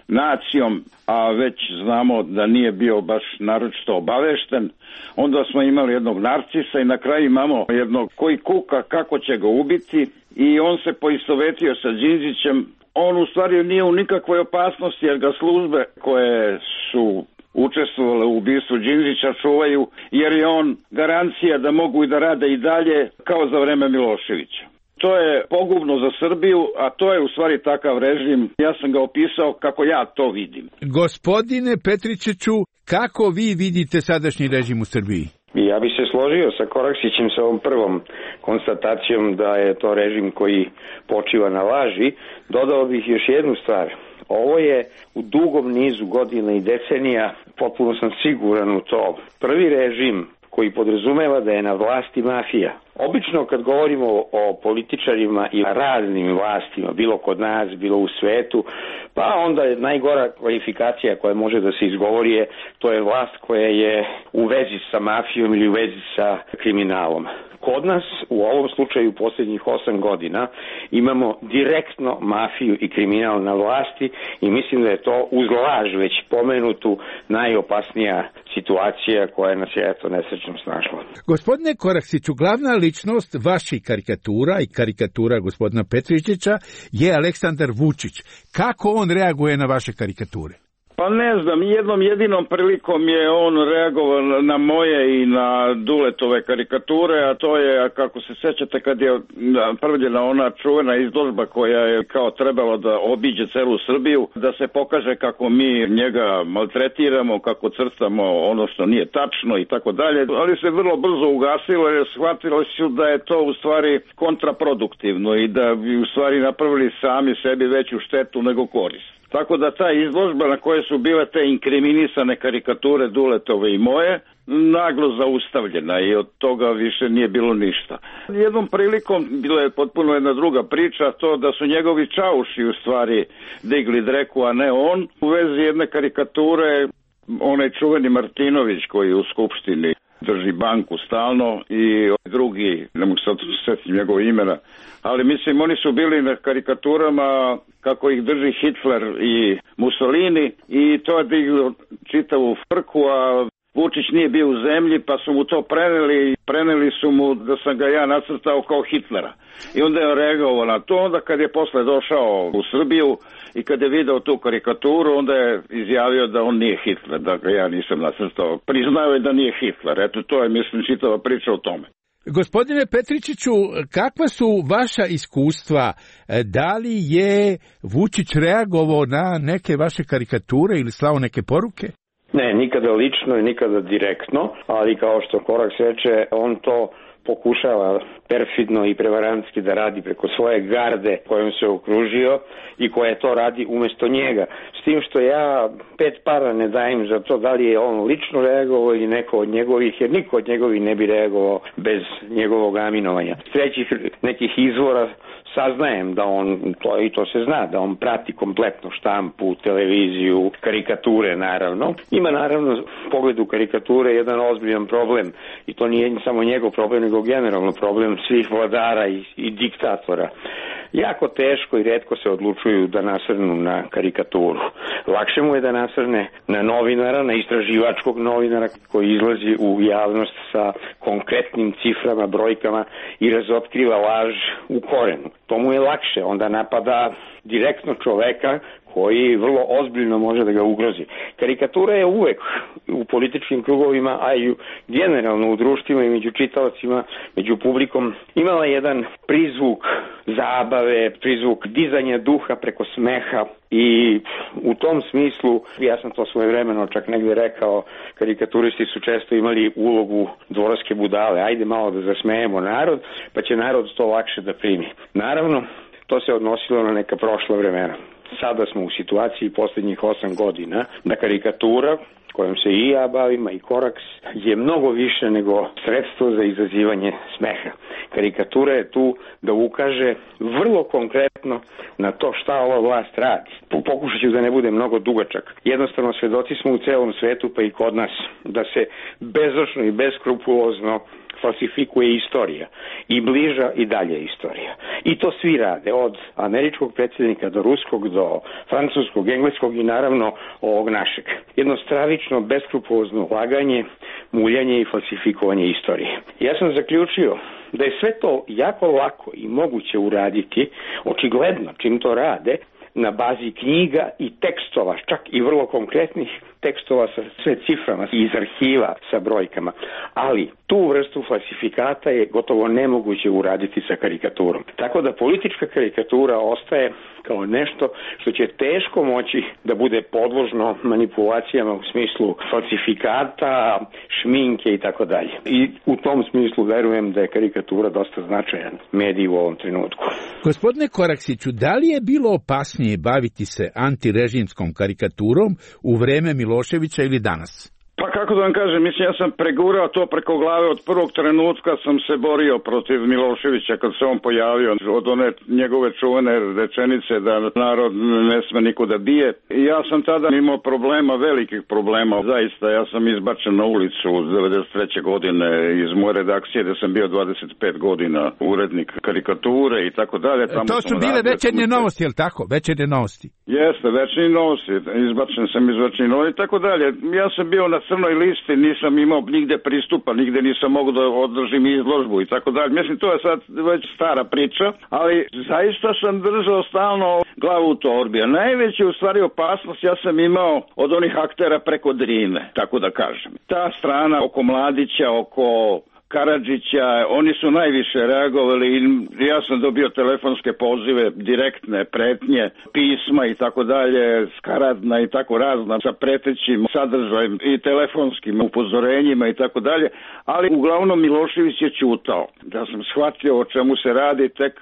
nacijom, a već znamo da nije bio baš naročito obavešten. Onda smo imali jednog narcisa i na kraju imamo jednog koji kuka kako će ga ubiti i on se poistovetio sa Đinđićem. On u stvari nije u nikakvoj opasnosti jer ga službe koje su učestvovale u ubistvu Đinđića čuvaju, jer je on garancija da mogu i da rade i dalje kao za vreme Miloševića. To je pogubno za Srbiju, a to je u stvari takav režim. Ja sam ga opisao kako ja to vidim. Gospodine Petričiću, kako vi vidite sadašnji režim u Srbiji? Ja bih se složio sa Koraksićem sa ovom prvom konstatacijom da je to režim koji počiva na laži. Dodao bih još jednu stvar. Ovo je u dugom nizu godina i decenija, potpuno sam siguran u to, prvi režim koji podrazumeva da je na vlasti mafija. Obično kad govorimo o političarima i raznim vlastima, bilo kod nas, bilo u svetu, pa onda je najgora kvalifikacija koja može da se izgovori je, to je vlast koja je u vezi sa mafijom ili u vezi sa kriminalom. Kod nas, u ovom slučaju posljednjih 8 godina, imamo direktno mafiju i kriminal na vlasti i mislim da je to uz laž već pomenutu najopasnija situacija koja nas je eto nesrećno snašla. Gospodine Koraksiću, glavna ličnost vaših karikatura i karikatura gospodina Petričića je Aleksandar Vučić. Kako on reaguje na vaše karikature? Pa ne znam, jednom jedinom prilikom je on reagovao na moje i na Duletove karikature, a to je, kako se sjećate, kad je napravljena ona čuvena izložba koja je kao trebalo da obiđe celu Srbiju, da se pokaže kako mi njega maltretiramo, kako crtamo ono što nije tačno i tako dalje, ali se vrlo brzo ugasilo jer shvatilo su da je to u stvari kontraproduktivno i da bi u stvari napravili sami sebi veću štetu nego korist. Tako da ta izložba na kojoj su bile te inkriminisane karikature Duletove i moje, naglo zaustavljena i od toga više nije bilo ništa. Jednom prilikom bila je potpuno jedna druga priča, to da su njegovi čauši u stvari digli dreku, a ne on, u vezi jedne karikature, onaj čuveni Martinović koji u Skupštini drži banku stalno i drugi, ne mogu sad sjetiti njegov imena, ali mislim oni su bili na karikaturama kako ih drži Hitler i Mussolini i to je diglo čitavu frku, a Vučić nije bio u zemlji pa su mu to preneli su mu da sam ga ja nacrtao kao Hitlera. I onda je reagovao na to, onda kad je posle došao u Srbiju i kad je video tu karikaturu, onda je izjavio da on nije Hitler, da ga ja nisam nacrtao. Priznao je da nije Hitler, eto to je mislim čitava priča o tome. Gospodine Petričiću, kakva su vaša iskustva? Da li je Vučić reagovao na neke vaše karikature ili slao neke poruke? Ne, nikada lično i nikada direktno, ali kao što Koraks reče, on to pokušava perfidno i prevarantski da radi preko svoje garde kojom se okružio i koja to radi umjesto njega. S tim što ja 5 para ne dajem za to da li je on lično reagovao ili neko od njegovih, jer niko od njegovih ne bi reagovao bez njegovog aminovanja. S trećih nekih izvora saznajem da on, to se zna, da on prati kompletno štampu, televiziju, karikature naravno. Ima naravno u pogledu karikature jedan ozbiljan problem i to nije samo njegov problem, nego generalno problem svih vladara i diktatora. Jako teško i retko se odlučuju da nasrnu na karikaturu. Lakše mu je da nasrne na novinara, na istraživačkog novinara koji izlazi u javnost sa konkretnim ciframa, brojkama i razotkriva laž u korenu. To mu je lakše, onda napada direktno čoveka koji vrlo ozbiljno može da ga ugrozi. Karikatura je uvek u političkim krugovima, a i generalno u društvima i među čitaocima, među publikom, imala jedan prizvuk zabave, prizvuk dizanja duha preko smeha i u tom smislu, ja sam to svojevremeno čak negdje rekao, karikaturisti su često imali ulogu dvorske budale. Ajde malo da zasmejemo narod, pa će narod to lakše da primi. Naravno, to se odnosilo na neka prošla vremena. Sada smo u situaciji posljednjih 8 godina da karikatura, kojom se i ja bavim, i Koraks, je mnogo više nego sredstvo za izazivanje smeha. Karikatura je tu da ukaže vrlo konkretno na to šta ova vlast radi. Pokušat ću da ne bude mnogo dugačak. Jednostavno, svedoci smo u celom svetu, pa i kod nas, da se bezočno i beskrupulozno falsifikuje istorija i bliža i dalje istorija. I to svi rade, od američkog predsjednika do ruskog, do francuskog, engleskog i naravno ovog našeg. Jedno stravično, beskrupulozno laganje, muljanje i falsifikovanje istorije. Ja sam zaključio da je sve to jako lako i moguće uraditi, očigledno čim to rade, na bazi knjiga i tekstova, čak i vrlo konkretnih tekstova sa sve ciframa iz arhiva sa brojkama. Ali tu vrstu falsifikata je gotovo nemoguće uraditi sa karikaturom. Tako da politička karikatura ostaje kao nešto što će teško moći da bude podložno manipulacijama u smislu falsifikata, šminke i tako dalje. I u tom smislu verujem da je karikatura dosta značajan medij u ovom trenutku. Gospodine Koraksiću, da li je bilo opasnije baviti se antirežimskom karikaturom u vreme Miloševića ili danas? Pa kako da vam kažem, mislim ja sam pregurao to preko glave od prvog trenutka sam se borio protiv Miloševića kad se on pojavio od one njegove čuvene rečenice da narod ne sme nikuda bije. I ja sam tada imao problema, velikih problema, zaista ja sam izbačen na ulicu 93. godine iz moje redakcije gde sam bio 25 godina urednik karikature i tako dalje. To su bile Večernje novosti, je li tako? Večernje novosti. Jeste, Večernje novosti, izbačen sam iz Večernje novosti i tako dalje. Ja sam bio na crnoj listi, nisam imao nigde pristupa, nigde nisam mogu da održim izložbu i tako dalje. Mislim, to je sad već stara priča, ali zaista sam držao stalno glavu u torbi. A najveća u stvari opasnost ja sam imao od onih aktera preko Drine, tako da kažem. Ta strana oko Mladića, oko Karadžića, oni su najviše reagovali i ja sam dobio telefonske pozive, direktne pretnje, pisma i tako dalje, skaradna i tako razna sa pretećim sadržajem i telefonskim upozorenjima i tako dalje, ali uglavnom Milošević je ćutao. Da sam shvatio o čemu se radi tek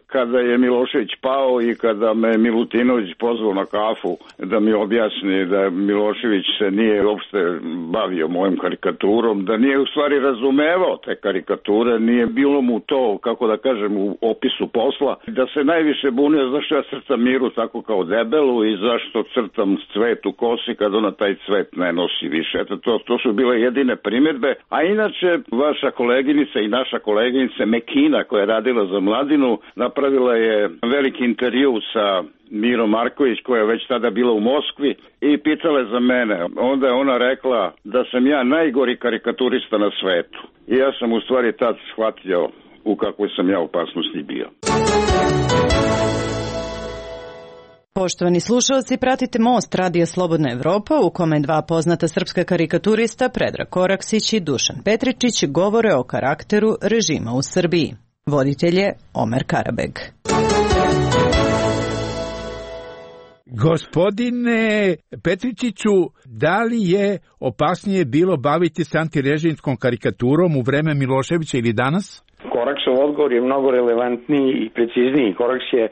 kada je Milošević pao i kada me Milutinović pozvao na kafu da mi objasni da Milošević se nije uopšte bavio mojom karikaturom, da nije u stvari razumevao te karikature, nije bilo mu to, kako da kažem, u opisu posla, da se najviše bunio zašto ja crtam Miru tako kao debelu i zašto crtam cvet u kosi kad ona taj cvet ne nosi više. Eto, to su bile jedine primjedbe, a inače vaša koleginica i naša koleginica Mekina koja je radila za Mladinu napravila je veliki intervju sa Mirom Marković koja je već tada bila u Moskvi i pitala je za mene. Onda je ona rekla da sam ja najgori karikaturista na svetu. I ja sam u stvari tad shvatio u kakvoj sam ja opasnosti bio. Poštovani slušalci, pratite Most Radija Slobodna Evropa u kome dva poznata srpska karikaturista Predrag Koraksić i Dušan Petričić govore o karakteru režima u Srbiji. Voditelj je Omer Karabeg. Gospodine Petričiću, da li je opasnije bilo baviti se antirežimskom karikaturom u vreme Miloševića ili danas? Koraksov odgovor je mnogo relevantniji i precizniji. Koraks je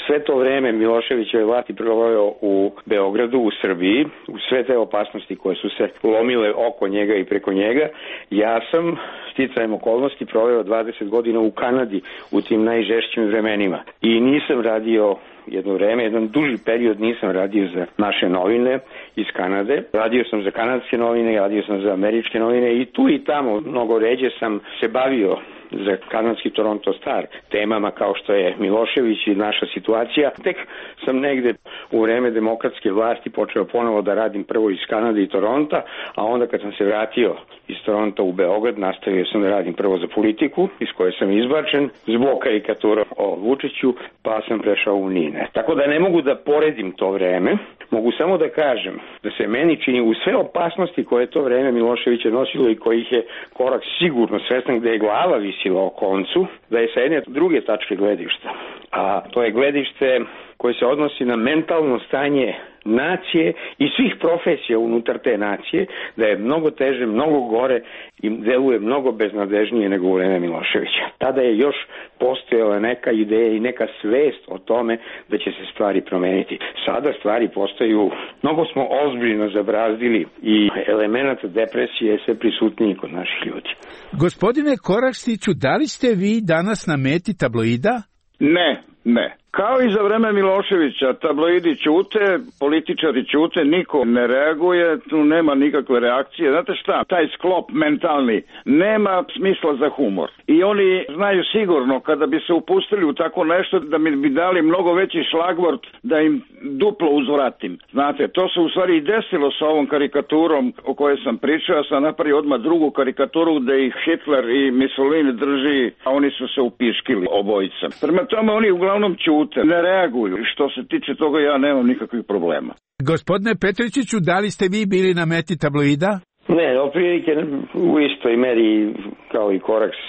sve to vreme Miloševićeve vlasti proveo u Beogradu, u Srbiji, u sve te opasnosti koje su se lomile oko njega i preko njega. Ja sam sticajem okolnosti proveo 20 godina u Kanadi u tim najžešćim vremenima i nisam radio jedno vreme, jedan duži period nisam radio za naše novine iz Kanade. Radio sam za kanadske novine, radio sam za američke novine i tu i tamo mnogo ređe sam se bavio za kanadski Toronto Star temama kao što je Milošević i naša situacija. Tek sam negde u vreme demokratske vlasti počeo ponovo da radim prvo iz Kanade i Toronta, a onda kad sam se vratio iz Toronta u Beograd, nastavio sam da radim prvo za politiku, iz koje sam izbačen zbog karikatura o Vučiću, pa sam prešao u NINE. Tako da ne mogu da poredim to vreme, mogu samo da kažem da se meni čini u sve opasnosti koje to vreme Miloševića nosilo i kojih je Korak sigurno svestan gde je glava visila o koncu, da je sa jedne druge tačke gledišta, a to je gledište koje se odnosi na mentalno stanje nacije i svih profesija unutar te nacije, da je mnogo teže, mnogo gore i deluje mnogo beznadežnije nego u vreme Miloševića. Tada je još postojala neka ideja i neka svest o tome da će se stvari promeniti. Sada stvari postaju, mnogo smo ozbiljno zabrazdili i elemenata depresije je sve prisutniji kod naših ljudi. Gospodine Koraksiću, da li ste vi danas na meti tabloida? Ne. Kao i za vreme Miloševića, tabloidi ćute, političari ćute, niko ne reaguje, tu nema nikakve reakcije. Znate šta, taj sklop mentalni nema smisla za humor. I oni znaju sigurno kada bi se upustili u tako nešto da mi bi dali mnogo veći šlagvort da im duplo uzvratim. Znate, to se u stvari i desilo sa ovom karikaturom o kojoj sam pričao. Ja sam napravio odmah drugu karikaturu gde ih Hitler i Mussolini drži, a oni su se upiškili obojica. Prema tome oni uglavnom ćute, ne reaguju. Što se tiče toga ja nemam nikakvih problema. Gospodine Petričiću, da li ste vi bili na meti tabloida? Ne, oprilike u istoj meri kao i Koraks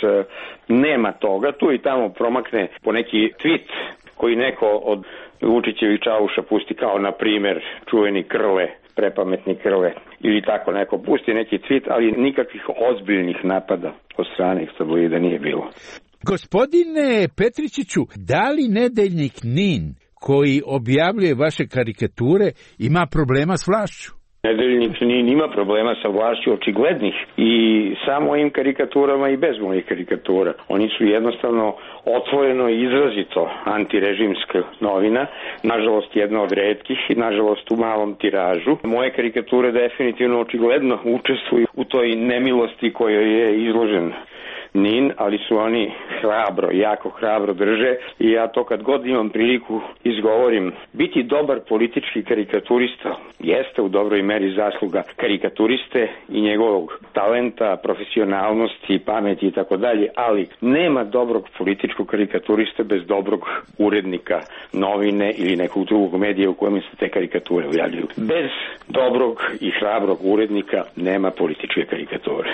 nema toga. Tu i tamo promakne po neki tweet koji neko od Vučićevih čauša pusti kao na primer čuveni Krle, prepametni Krle ili tako neko pusti neki tweet, ali nikakvih ozbiljnih napada od strane tabloida nije bilo. Gospodine Petričiću, da li nedeljnik NIN koji objavljuje vaše karikature ima problema s vlašću? Nedeljnik NIN ima problema sa vlašću očiglednih i sa mojim karikaturama i bez mojih karikatura. Oni su jednostavno otvoreno i izrazito antirežimska novina, nažalost jedna od retkih i nažalost u malom tiražu. Moje karikature definitivno očigledno učestvuju u toj nemilosti kojoj je izložen NIN, ali su oni hrabro, jako hrabro drže i ja to kad god imam priliku izgovorim. Biti dobar politički karikaturista jeste u dobroj meri zasluga karikaturiste i njegovog talenta, profesionalnosti, pameti i tako dalje, ali nema dobrog političkog karikaturista bez dobrog urednika novine ili nekog drugog medija u kojem se te karikature objavljuju. Bez dobrog i hrabrog urednika nema političke karikature.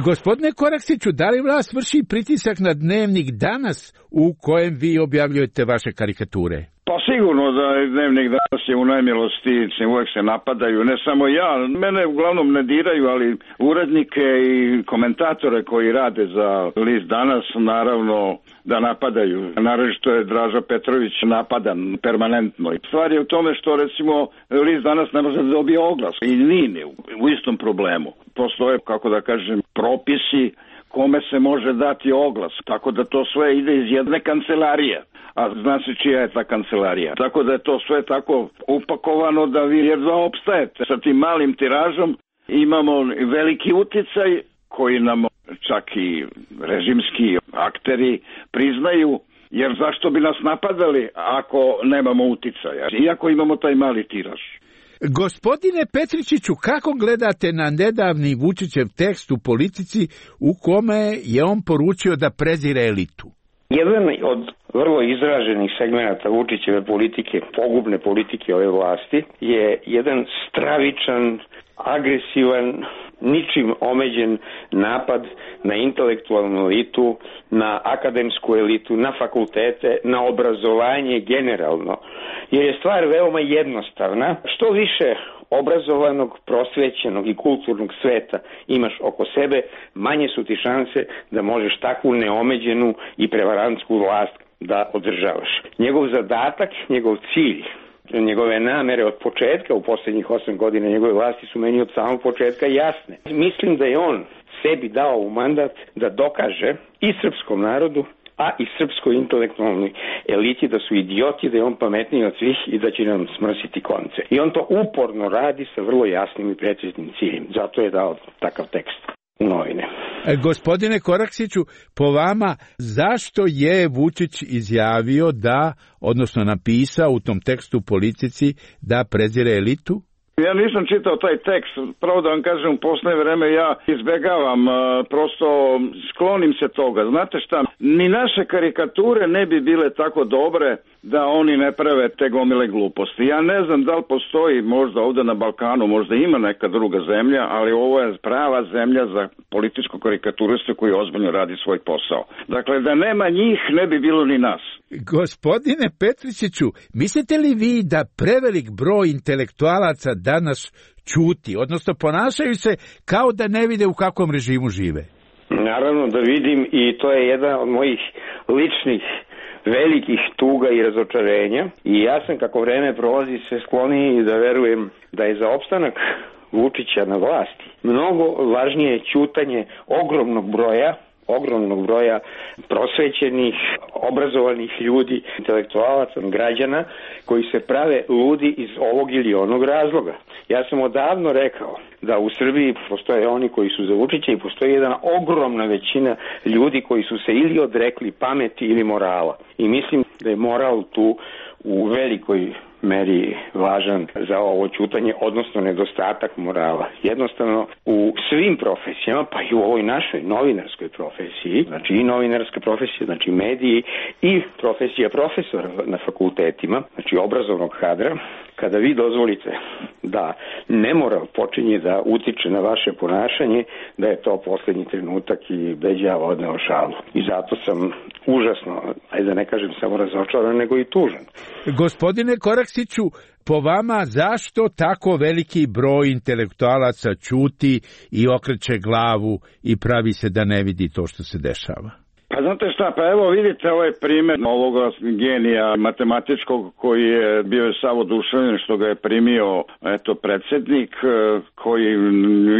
Gospodine Koraksiću, da li vlast vrši pritisak na Dnevnik Danas u kojem vi objavljujete vaše karikature? Pa sigurno da Dnevnik Danas je u najmilosti, uvek se napadaju, ne samo ja, mene uglavnom ne diraju, ali urednike i komentatore koji rade za list Danas naravno da napadaju. Naravno što je Draža Petrović napadan permanentno. Stvar je u tome što recimo list Danas ne može da dobije oglas i nije u istom problemu. Postoje, kako da kažem, propisi kome se može dati oglas, tako da to sve ide iz jedne kancelarije. A zna se čija je ta kancelarija. Tako da je to sve tako upakovano da vi jedva opstajete. Sa tim malim tiražom imamo veliki uticaj koji nam čak i režimski akteri priznaju, jer zašto bi nas napadali ako nemamo uticaja, iako imamo taj mali tiraž. Gospodine Petričiću, kako gledate na nedavni Vučićev tekst u Politici u kome je on poručio da prezire elitu? Jedan od vrlo izraženih segmenata Vučićeve politike, pogubne politike ove vlasti, je jedan stravičan, agresivan, ničim omeđen napad na intelektualnu elitu, na akademsku elitu, na fakultete, na obrazovanje generalno. Jer je stvar veoma jednostavna. Što više obrazovanog, prosvećenog i kulturnog sveta imaš oko sebe, manje su ti šanse da možeš takvu neomeđenu i prevarantsku vlast da održavaš. Njegov zadatak, njegov cilj, njegove namere od početka u posljednjih 8 godina njegove vlasti su meni od samog početka jasne. Mislim da je on sebi dao u mandat da dokaže i srpskom narodu, a i srpskoj intelektualnoj eliti da su idioti, da je on pametniji od svih i da će nam smrsiti konce. I on to uporno radi sa vrlo jasnim i preciznim ciljem. Zato je dao takav tekst u novine. Gospodine Koraksiću, po vama, zašto je Vučić izjavio da, odnosno napisao u tom tekstu Politici da prezire elitu? Ja nisam čitao taj tekst, pravo da vam kažem, u posljednje vreme ja izbegavam, prosto sklonim se toga. Znate šta, ni naše karikature ne bi bile tako dobre da oni ne prave te gomile gluposti. Ja ne znam da li postoji možda ovdje na Balkanu, možda ima neka druga zemlja, ali ovo je prava zemlja za političku karikaturistu koji ozbiljno radi svoj posao. Dakle, da nema njih ne bi bilo ni nas. Gospodine Petričiću, mislite li vi da prevelik broj intelektualaca danas ćuti, odnosno ponašaju se kao da ne vide u kakvom režimu žive? Naravno da vidim i to je jedan od mojih ličnih velikih tuga i razočarenja i ja sam kako vreme prolazi sve skloniji da verujem da je za opstanak Vučića na vlasti mnogo važnije ćutanje ogromnog broja prosvećenih, obrazovanih ljudi, intelektualaca, građana koji se prave ludi iz ovog ili onog razloga. Ja sam odavno rekao da u Srbiji postoje oni koji su za Vučića i postoji jedna ogromna većina ljudi koji su se ili odrekli pameti ili morala. I mislim da je moral tu u velikoj meri važan za ovo ćutanje, odnosno nedostatak morala. Jednostavno u svim profesijama, pa i u ovoj našoj novinarskoj profesiji, znači i novinarska profesija, znači mediji i profesija profesora na fakultetima, znači obrazovnog kadra, kada vi dozvolite da nemoral počinje da utiče na vaše ponašanje, da je to posljednji trenutak i beđa odneo šalu. I zato sam užasno, ajde da ne kažem samo razočaran, nego i tužan. Gospodine Koraksiću, po vama zašto tako veliki broj intelektualaca ćuti i okreće glavu i pravi se da ne vidi to što se dešava? Pa znate šta, pa evo vidite ovaj primjer ovoga genija matematičkog koji je bio sav oduševljen što ga je primio predsjednik koji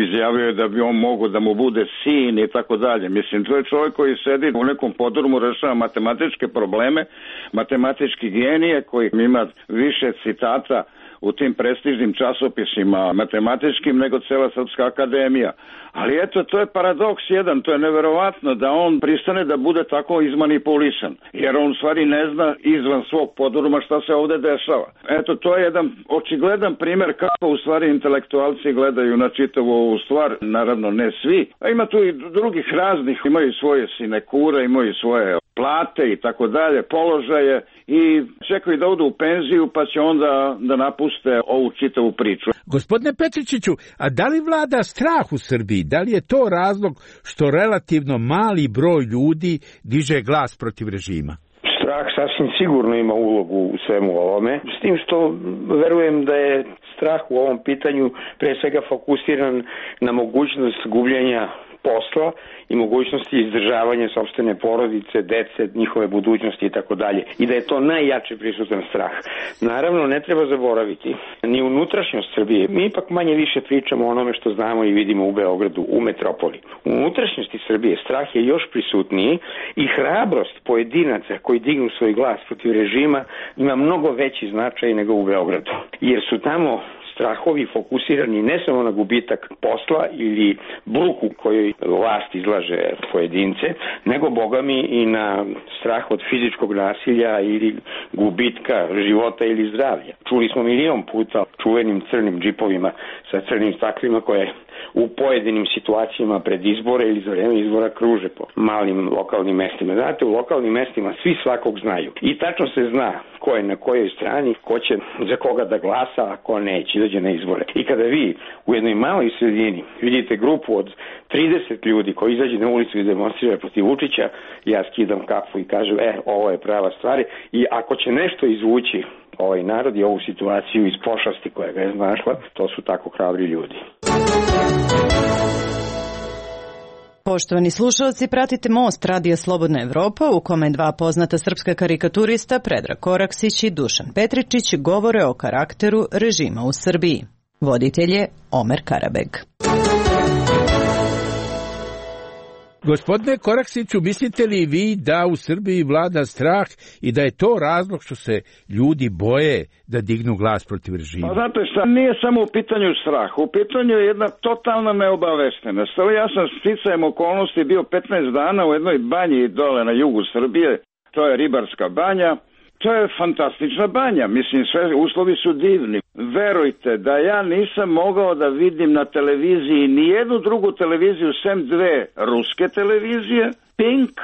izjavio da bi on mogao da mu bude sin i tako dalje. Mislim, to je čovjek koji sedi u nekom podrumu, rešava matematičke probleme, matematički genije koji ima više citata u tim prestižnim časopisima matematičkim nego cela Srpska akademija. Ali eto, to je paradoks jedan, to je neverovatno da on pristane da bude tako izmanipulisan, jer on u stvari ne zna izvan svog podruma šta se ovde dešava. Eto, to je jedan očigledan primer kako u stvari intelektualci gledaju na čitavu ovu stvar, naravno ne svi, a ima tu i drugih raznih, imaju svoje sinekure, imaju svoje plate i tako dalje, položaje i čekaju da odu u penziju pa će onda da napuste ovu čitavu priču. Gospodine Petričiću, a da li vlada strah u Srbiji? Da li je to razlog što relativno mali broj ljudi diže glas protiv režima? Strah sasvim sigurno ima ulogu u svemu ovome, s tim što verujem da je strah u ovom pitanju pre svega fokusiran na mogućnost gubljenja posla i mogućnosti izdržavanja sopstvene porodice, dece, njihove budućnosti i tako dalje. I da je to najjače prisutan strah. Naravno, ne treba zaboraviti ni unutrašnjost Srbije. Mi ipak manje više pričamo o onome što znamo i vidimo u Beogradu, u metropoli. U unutrašnjosti Srbije strah je još prisutniji i hrabrost pojedinaca koji dignu svoj glas protiv režima ima mnogo veći značaj nego u Beogradu. Jer su tamo strahovi fokusirani ne samo na gubitak posla ili bruku kojoj vlast izlaže pojedince, nego bogami i na strah od fizičkog nasilja ili gubitka života ili zdravlja. Čuli smo milion puta čuvenim crnim džipovima sa crnim staklima koje u pojedinim situacijama pred izbore ili za vreme izbora kruže po malim lokalnim mestima. Znate, u lokalnim mestima svi svakog znaju i tačno se zna ko je na kojoj strani, ko će za koga da glasa, a ko neće, izađe na izbore. I kada vi u jednoj maloj sredini vidite grupu od 30 ljudi koji izađe na ulicu i demonstrira protiv Vučića, ja skidam kapu i kažem, ovo je prava stvar i ako će nešto izvući ovaj narod i ovu situaciju iz pošasti koja ga je znašla, to su tako hrabri ljudi. Poštovani slušalci, pratite Most Radija Slobodna Evropa u kome dva poznata srpska karikaturista Predrag Koraksić i Dušan Petričić govore o karakteru režima u Srbiji. Voditelj je Omer Karabeg. Gospodine Koraksiću, mislite li vi da u Srbiji vlada strah i da je to razlog što se ljudi boje da dignu glas protiv režima? Pa znate šta, nije samo u pitanju strah, u pitanju je jedna totalna neobaveštenost. Ja sam sticajem okolnosti bio 15 dana u jednoj banji dole na jugu Srbije, to je Ribarska banja. To je fantastična banja, mislim, sve uslovi su divni. Verujte da ja nisam mogao da vidim na televiziji ni jednu drugu televiziju sem dve ruske televizije, Pink,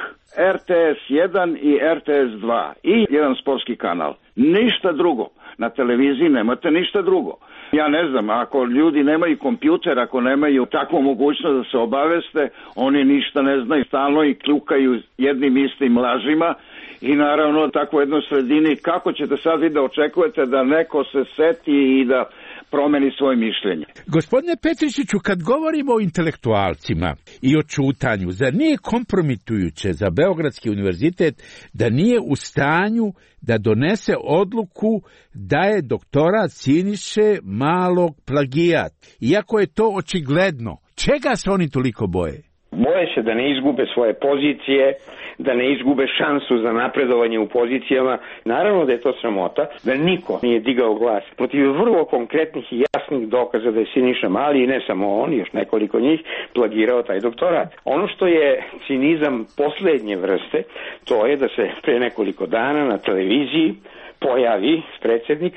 RTS 1 i RTS 2 i jedan sportski kanal. Ništa drugo. Na televiziji nemate ništa drugo. Ja ne znam, ako ljudi nemaju kompjuter, ako nemaju takvu mogućnost da se obaveste, oni ništa ne znaju, stalno i kljukaju jednim istim lažima i naravno tako u jednoj sredini, kako ćete sad vi da očekujete da neko se seti i da promeni svoje mišljenje? Gospodine Petričiću, kad govorimo o intelektualcima i o čutanju, zar nije kompromitujuće za Beogradski univerzitet da nije u stanju da donese odluku da je doktorat Siniše Malog plagijat, iako je to očigledno? Čega se oni toliko boje? Boje se da ne izgube svoje pozicije, da ne izgube šansu za napredovanje u pozicijama. Naravno da je to sramota, da niko nije digao glas protiv vrlo konkretnih i jasnih dokaza da je Siniša Mali, i ne samo on, još nekoliko njih, plagirao taj doktorat. Ono što je cinizam poslednje vrste, to je da se pre nekoliko dana na televiziji pojavi predsjednik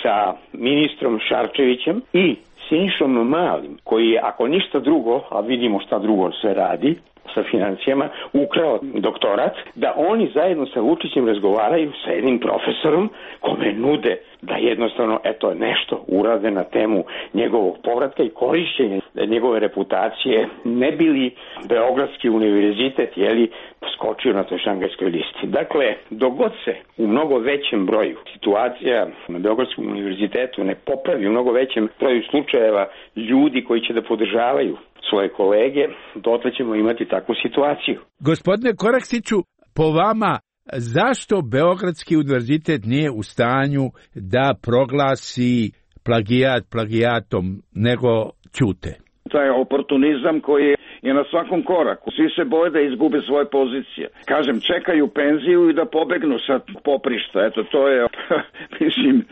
sa ministrom Šarčevićem i Sinišom Malim, koji je, ako ništa drugo, a vidimo šta drugo se radi sa financijama, ukrao doktorat, da oni zajedno sa Vučićem razgovaraju sa jednim profesorom kome nude da jednostavno nešto urade na temu njegovog povratka i korišćenja njegove reputacije, ne bi li Beogradski univerzitet skočio na toj šangajskoj listi. Dakle, dogod se u mnogo većem broju situacija na Beogradskom univerzitetu ne popravi, u mnogo većem broju slučajeva ljudi koji će da podržavaju svoje kolege, dotle ćemo imati takvu situaciju. Gospodine Koraksiću, po vama, zašto Beogradski univerzitet nije u stanju da proglasi plagijat plagijatom, nego ćute? Taj oportunizam koji je na svakom koraku. Svi se boje da izgube svoje pozicije. Kažem, čekaju penziju i da pobegnu sa poprišta. Eto, to je, mislim,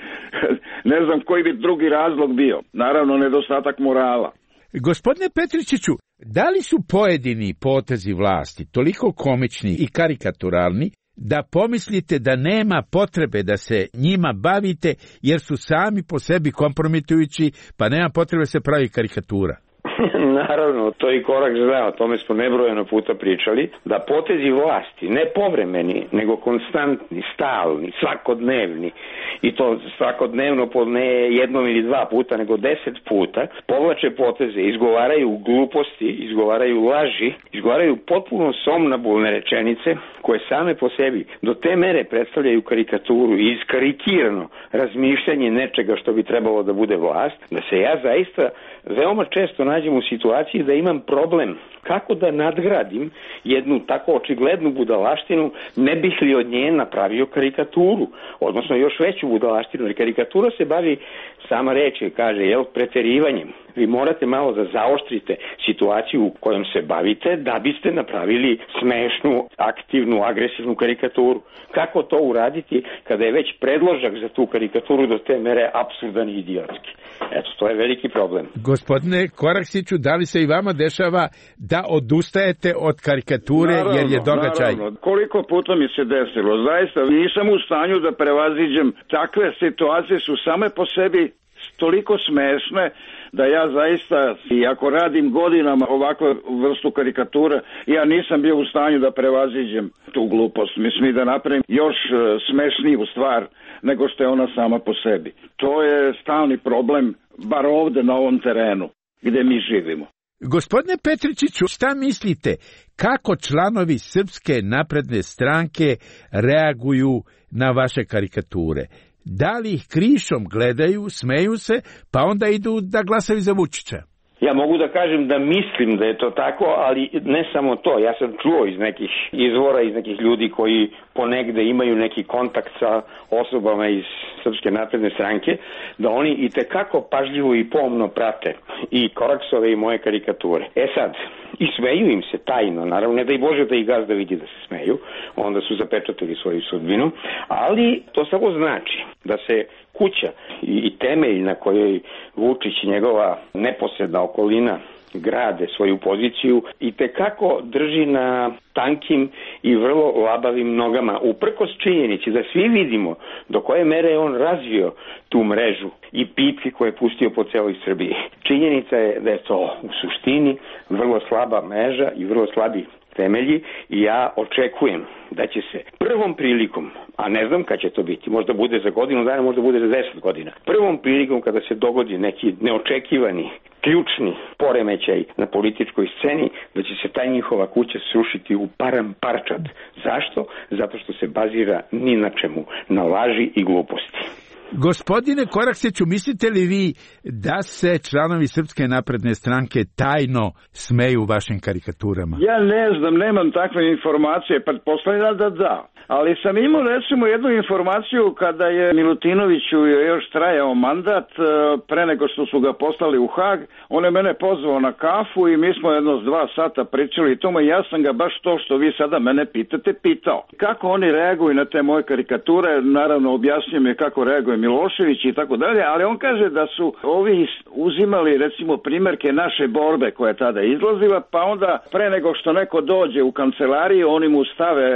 ne znam koji bi drugi razlog bio. Naravno, nedostatak morala. Gospodine Petričiću, da li su pojedini potezi vlasti toliko komični i karikaturalni da pomislite da nema potrebe da se njima bavite jer su sami po sebi kompromitujući, pa nema potrebe se pravi karikatura? Naravno, to je i korak za, o tome smo nebrojeno puta pričali, da potezi vlasti, ne povremeni, nego konstantni, stalni, svakodnevni, i to svakodnevno po ne jednom ili dva puta, nego 10 puta, povlače poteze, izgovaraju gluposti, izgovaraju laži, izgovaraju potpuno somnambulne rečenice, koje same po sebi do te mere predstavljaju karikaturu i iskarikirano razmišljanje nečega što bi trebalo da bude vlast, da se ja zaista veoma često nađem u situaciji da imam problem kako da nadgradim jednu tako očiglednu budalaštinu, ne bih li od nje napravio karikaturu, odnosno još veću budalaštinu, jer karikatura se bavi, sama reč kaže, preterivanjem. Vi morate malo da zaoštrite situaciju u kojom se bavite da biste napravili smešnu, aktivnu, agresivnu karikaturu. Kako to uraditi kada je već predložak za tu karikaturu do te mere apsurdan i idiotski? Eto, to je veliki problem. Gospodine Koraksiću, da li se i vama dešava da odustajete od karikature, naravno, jer je događaj? Naravno, koliko puta mi se desilo. Zaista nisam u stanju da prevaziđem. Takve situacije su same po sebi toliko smešne da ja zaista, i ako radim godinama ovakvu vrstu karikature, ja nisam bio u stanju da prevaziđem tu glupost. Mislim da napravim još smešniju stvar nego što je ona sama po sebi. To je stalni problem, bar ovde na ovom terenu gde mi živimo. Gospodine Petričiću, šta mislite, kako članovi Srpske napredne stranke reaguju na vaše karikature? Da li ih krišom gledaju, smeju se, pa onda idu da glasaju za Vučića? Ja mogu da kažem da mislim da je to tako, ali ne samo to. Ja sam čuo iz nekih izvora, iz nekih ljudi koji ponegde imaju neki kontakt sa osobama iz Srpske napredne stranke, da oni i tekako pažljivo i pomno prate i Koraksove i moje karikature. Sad, i smeju im se tajno, naravno, ne da i Bože da i gazda vidi da se smeju, onda su zapečatili svoju sudbinu, ali to samo znači da se kuća i temelj na kojoj Vučić i njegova neposredna okolina grade svoju poziciju i tekako drži na tankim i vrlo labavim nogama, uprkos činjenici da svi vidimo do koje mere je on razvio tu mrežu i pipke koje je pustio po celoj Srbiji. Činjenica je da je to u suštini vrlo slaba mreža i vrlo slabi temelji i ja očekujem da će se prvom prilikom, a ne znam kad će to biti, možda bude za godinu dana, možda bude za 10 godina, prvom prilikom kada se dogodi neki neočekivani, ključni poremećaj na političkoj sceni, da će se ta njihova kuća srušiti u param parčad. Zašto? Zato što se bazira ni na čemu, na laži i gluposti. Gospodine Koraksiću, mislite li vi da se članovi Srpske napredne stranke tajno smeju vašim karikaturama? Ja ne znam, nemam takve informacije, pretpostavljam da. Ali sam imao recimo jednu informaciju kada je Milutinoviću još trajao mandat, pre nego što su ga poslali u Hag, on je mene pozvao na kafu i mi smo jedno 2 sata pričali i tome, ja sam ga baš to što vi sada mene pitate pitao. Kako oni reaguju na te moje karikature, naravno objasnio mi kako reaguje Milošević i tako dalje, ali on kaže da su ovi uzimali recimo primjerke naše borbe koja je tada izlazila, pa onda pre nego što neko dođe u kancelariju, oni mu stave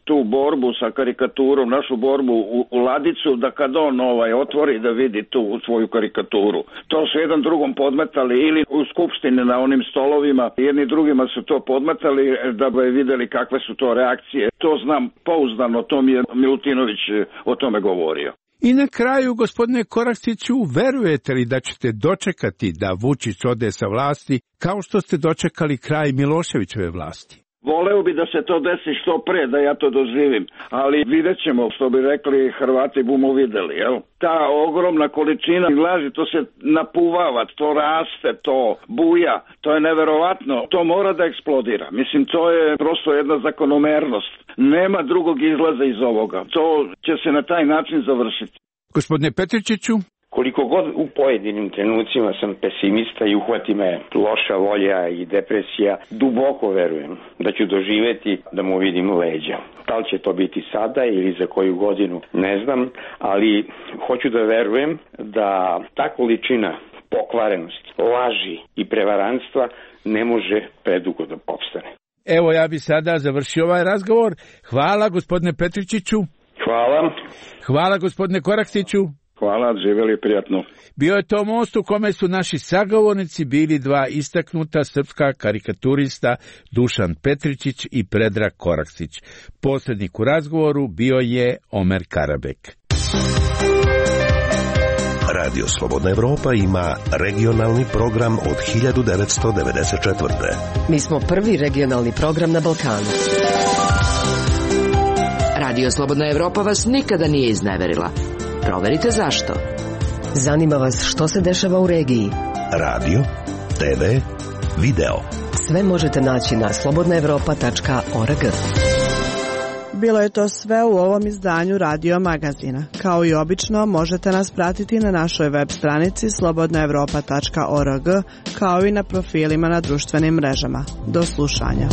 tu borbu sa karikaturom, našu borbu u ladicu, da kad on otvori da vidi tu svoju karikaturu. To su jedan drugom podmetali ili u skupštini na onim stolovima, jedni drugima su to podmetali da bi videli kakve su to reakcije. To znam pouzdano, to mi je Milutinović o tome govorio. I na kraju, gospodine Koraksiću, verujete li da ćete dočekati da Vučić ode sa vlasti kao što ste dočekali kraj Miloševićeve vlasti? Voleo bi da se to desi što pre, da ja to doživim, ali vidjet ćemo, što bi rekli Hrvati, bumo videli, jel? Ta ogromna količina laži, to se napuvava, to raste, to buja, to je neverovatno, to mora da eksplodira. Mislim, to je prosto jedna zakonomernost. Nema drugog izlaza iz ovoga. To će se na taj način završiti. Gospodine Petričiću? Koliko god u pojedinim trenucima sam pesimista i uhvati me loša volja i depresija, duboko verujem da ću doživeti da mu vidim leđa. Da li će to biti sada ili za koju godinu, ne znam, ali hoću da verujem da ta količina pokvarenosti, laži i prevaranstva ne može predugo da opstane. Evo, ja bi sada završio ovaj razgovor. Hvala gospodine Petričiću. Hvala. Hvala gospodine Koraksiću. Hvala, živjeli prijatno. Bio je to most u kome su naši sagovornici bili dva istaknuta srpska karikaturista Dušan Petričić i Predrag Koraksić. Posrednik u razgovoru bio je Omer Karabek. Radio Slobodna Evropa ima regionalni program od 1994. Mi smo prvi regionalni program na Balkanu. Radio Slobodna Evropa vas nikada nije izneverila. Proverite zašto. Zanima vas što se dešava u regiji. Radio, TV, video. Sve možete naći na slobodnaevropa.org. Bilo je to sve u ovom izdanju Radio Magazina. Kao i obično, možete nas pratiti na našoj web stranici slobodnaevropa.org, kao i na profilima na društvenim mrežama. Do slušanja.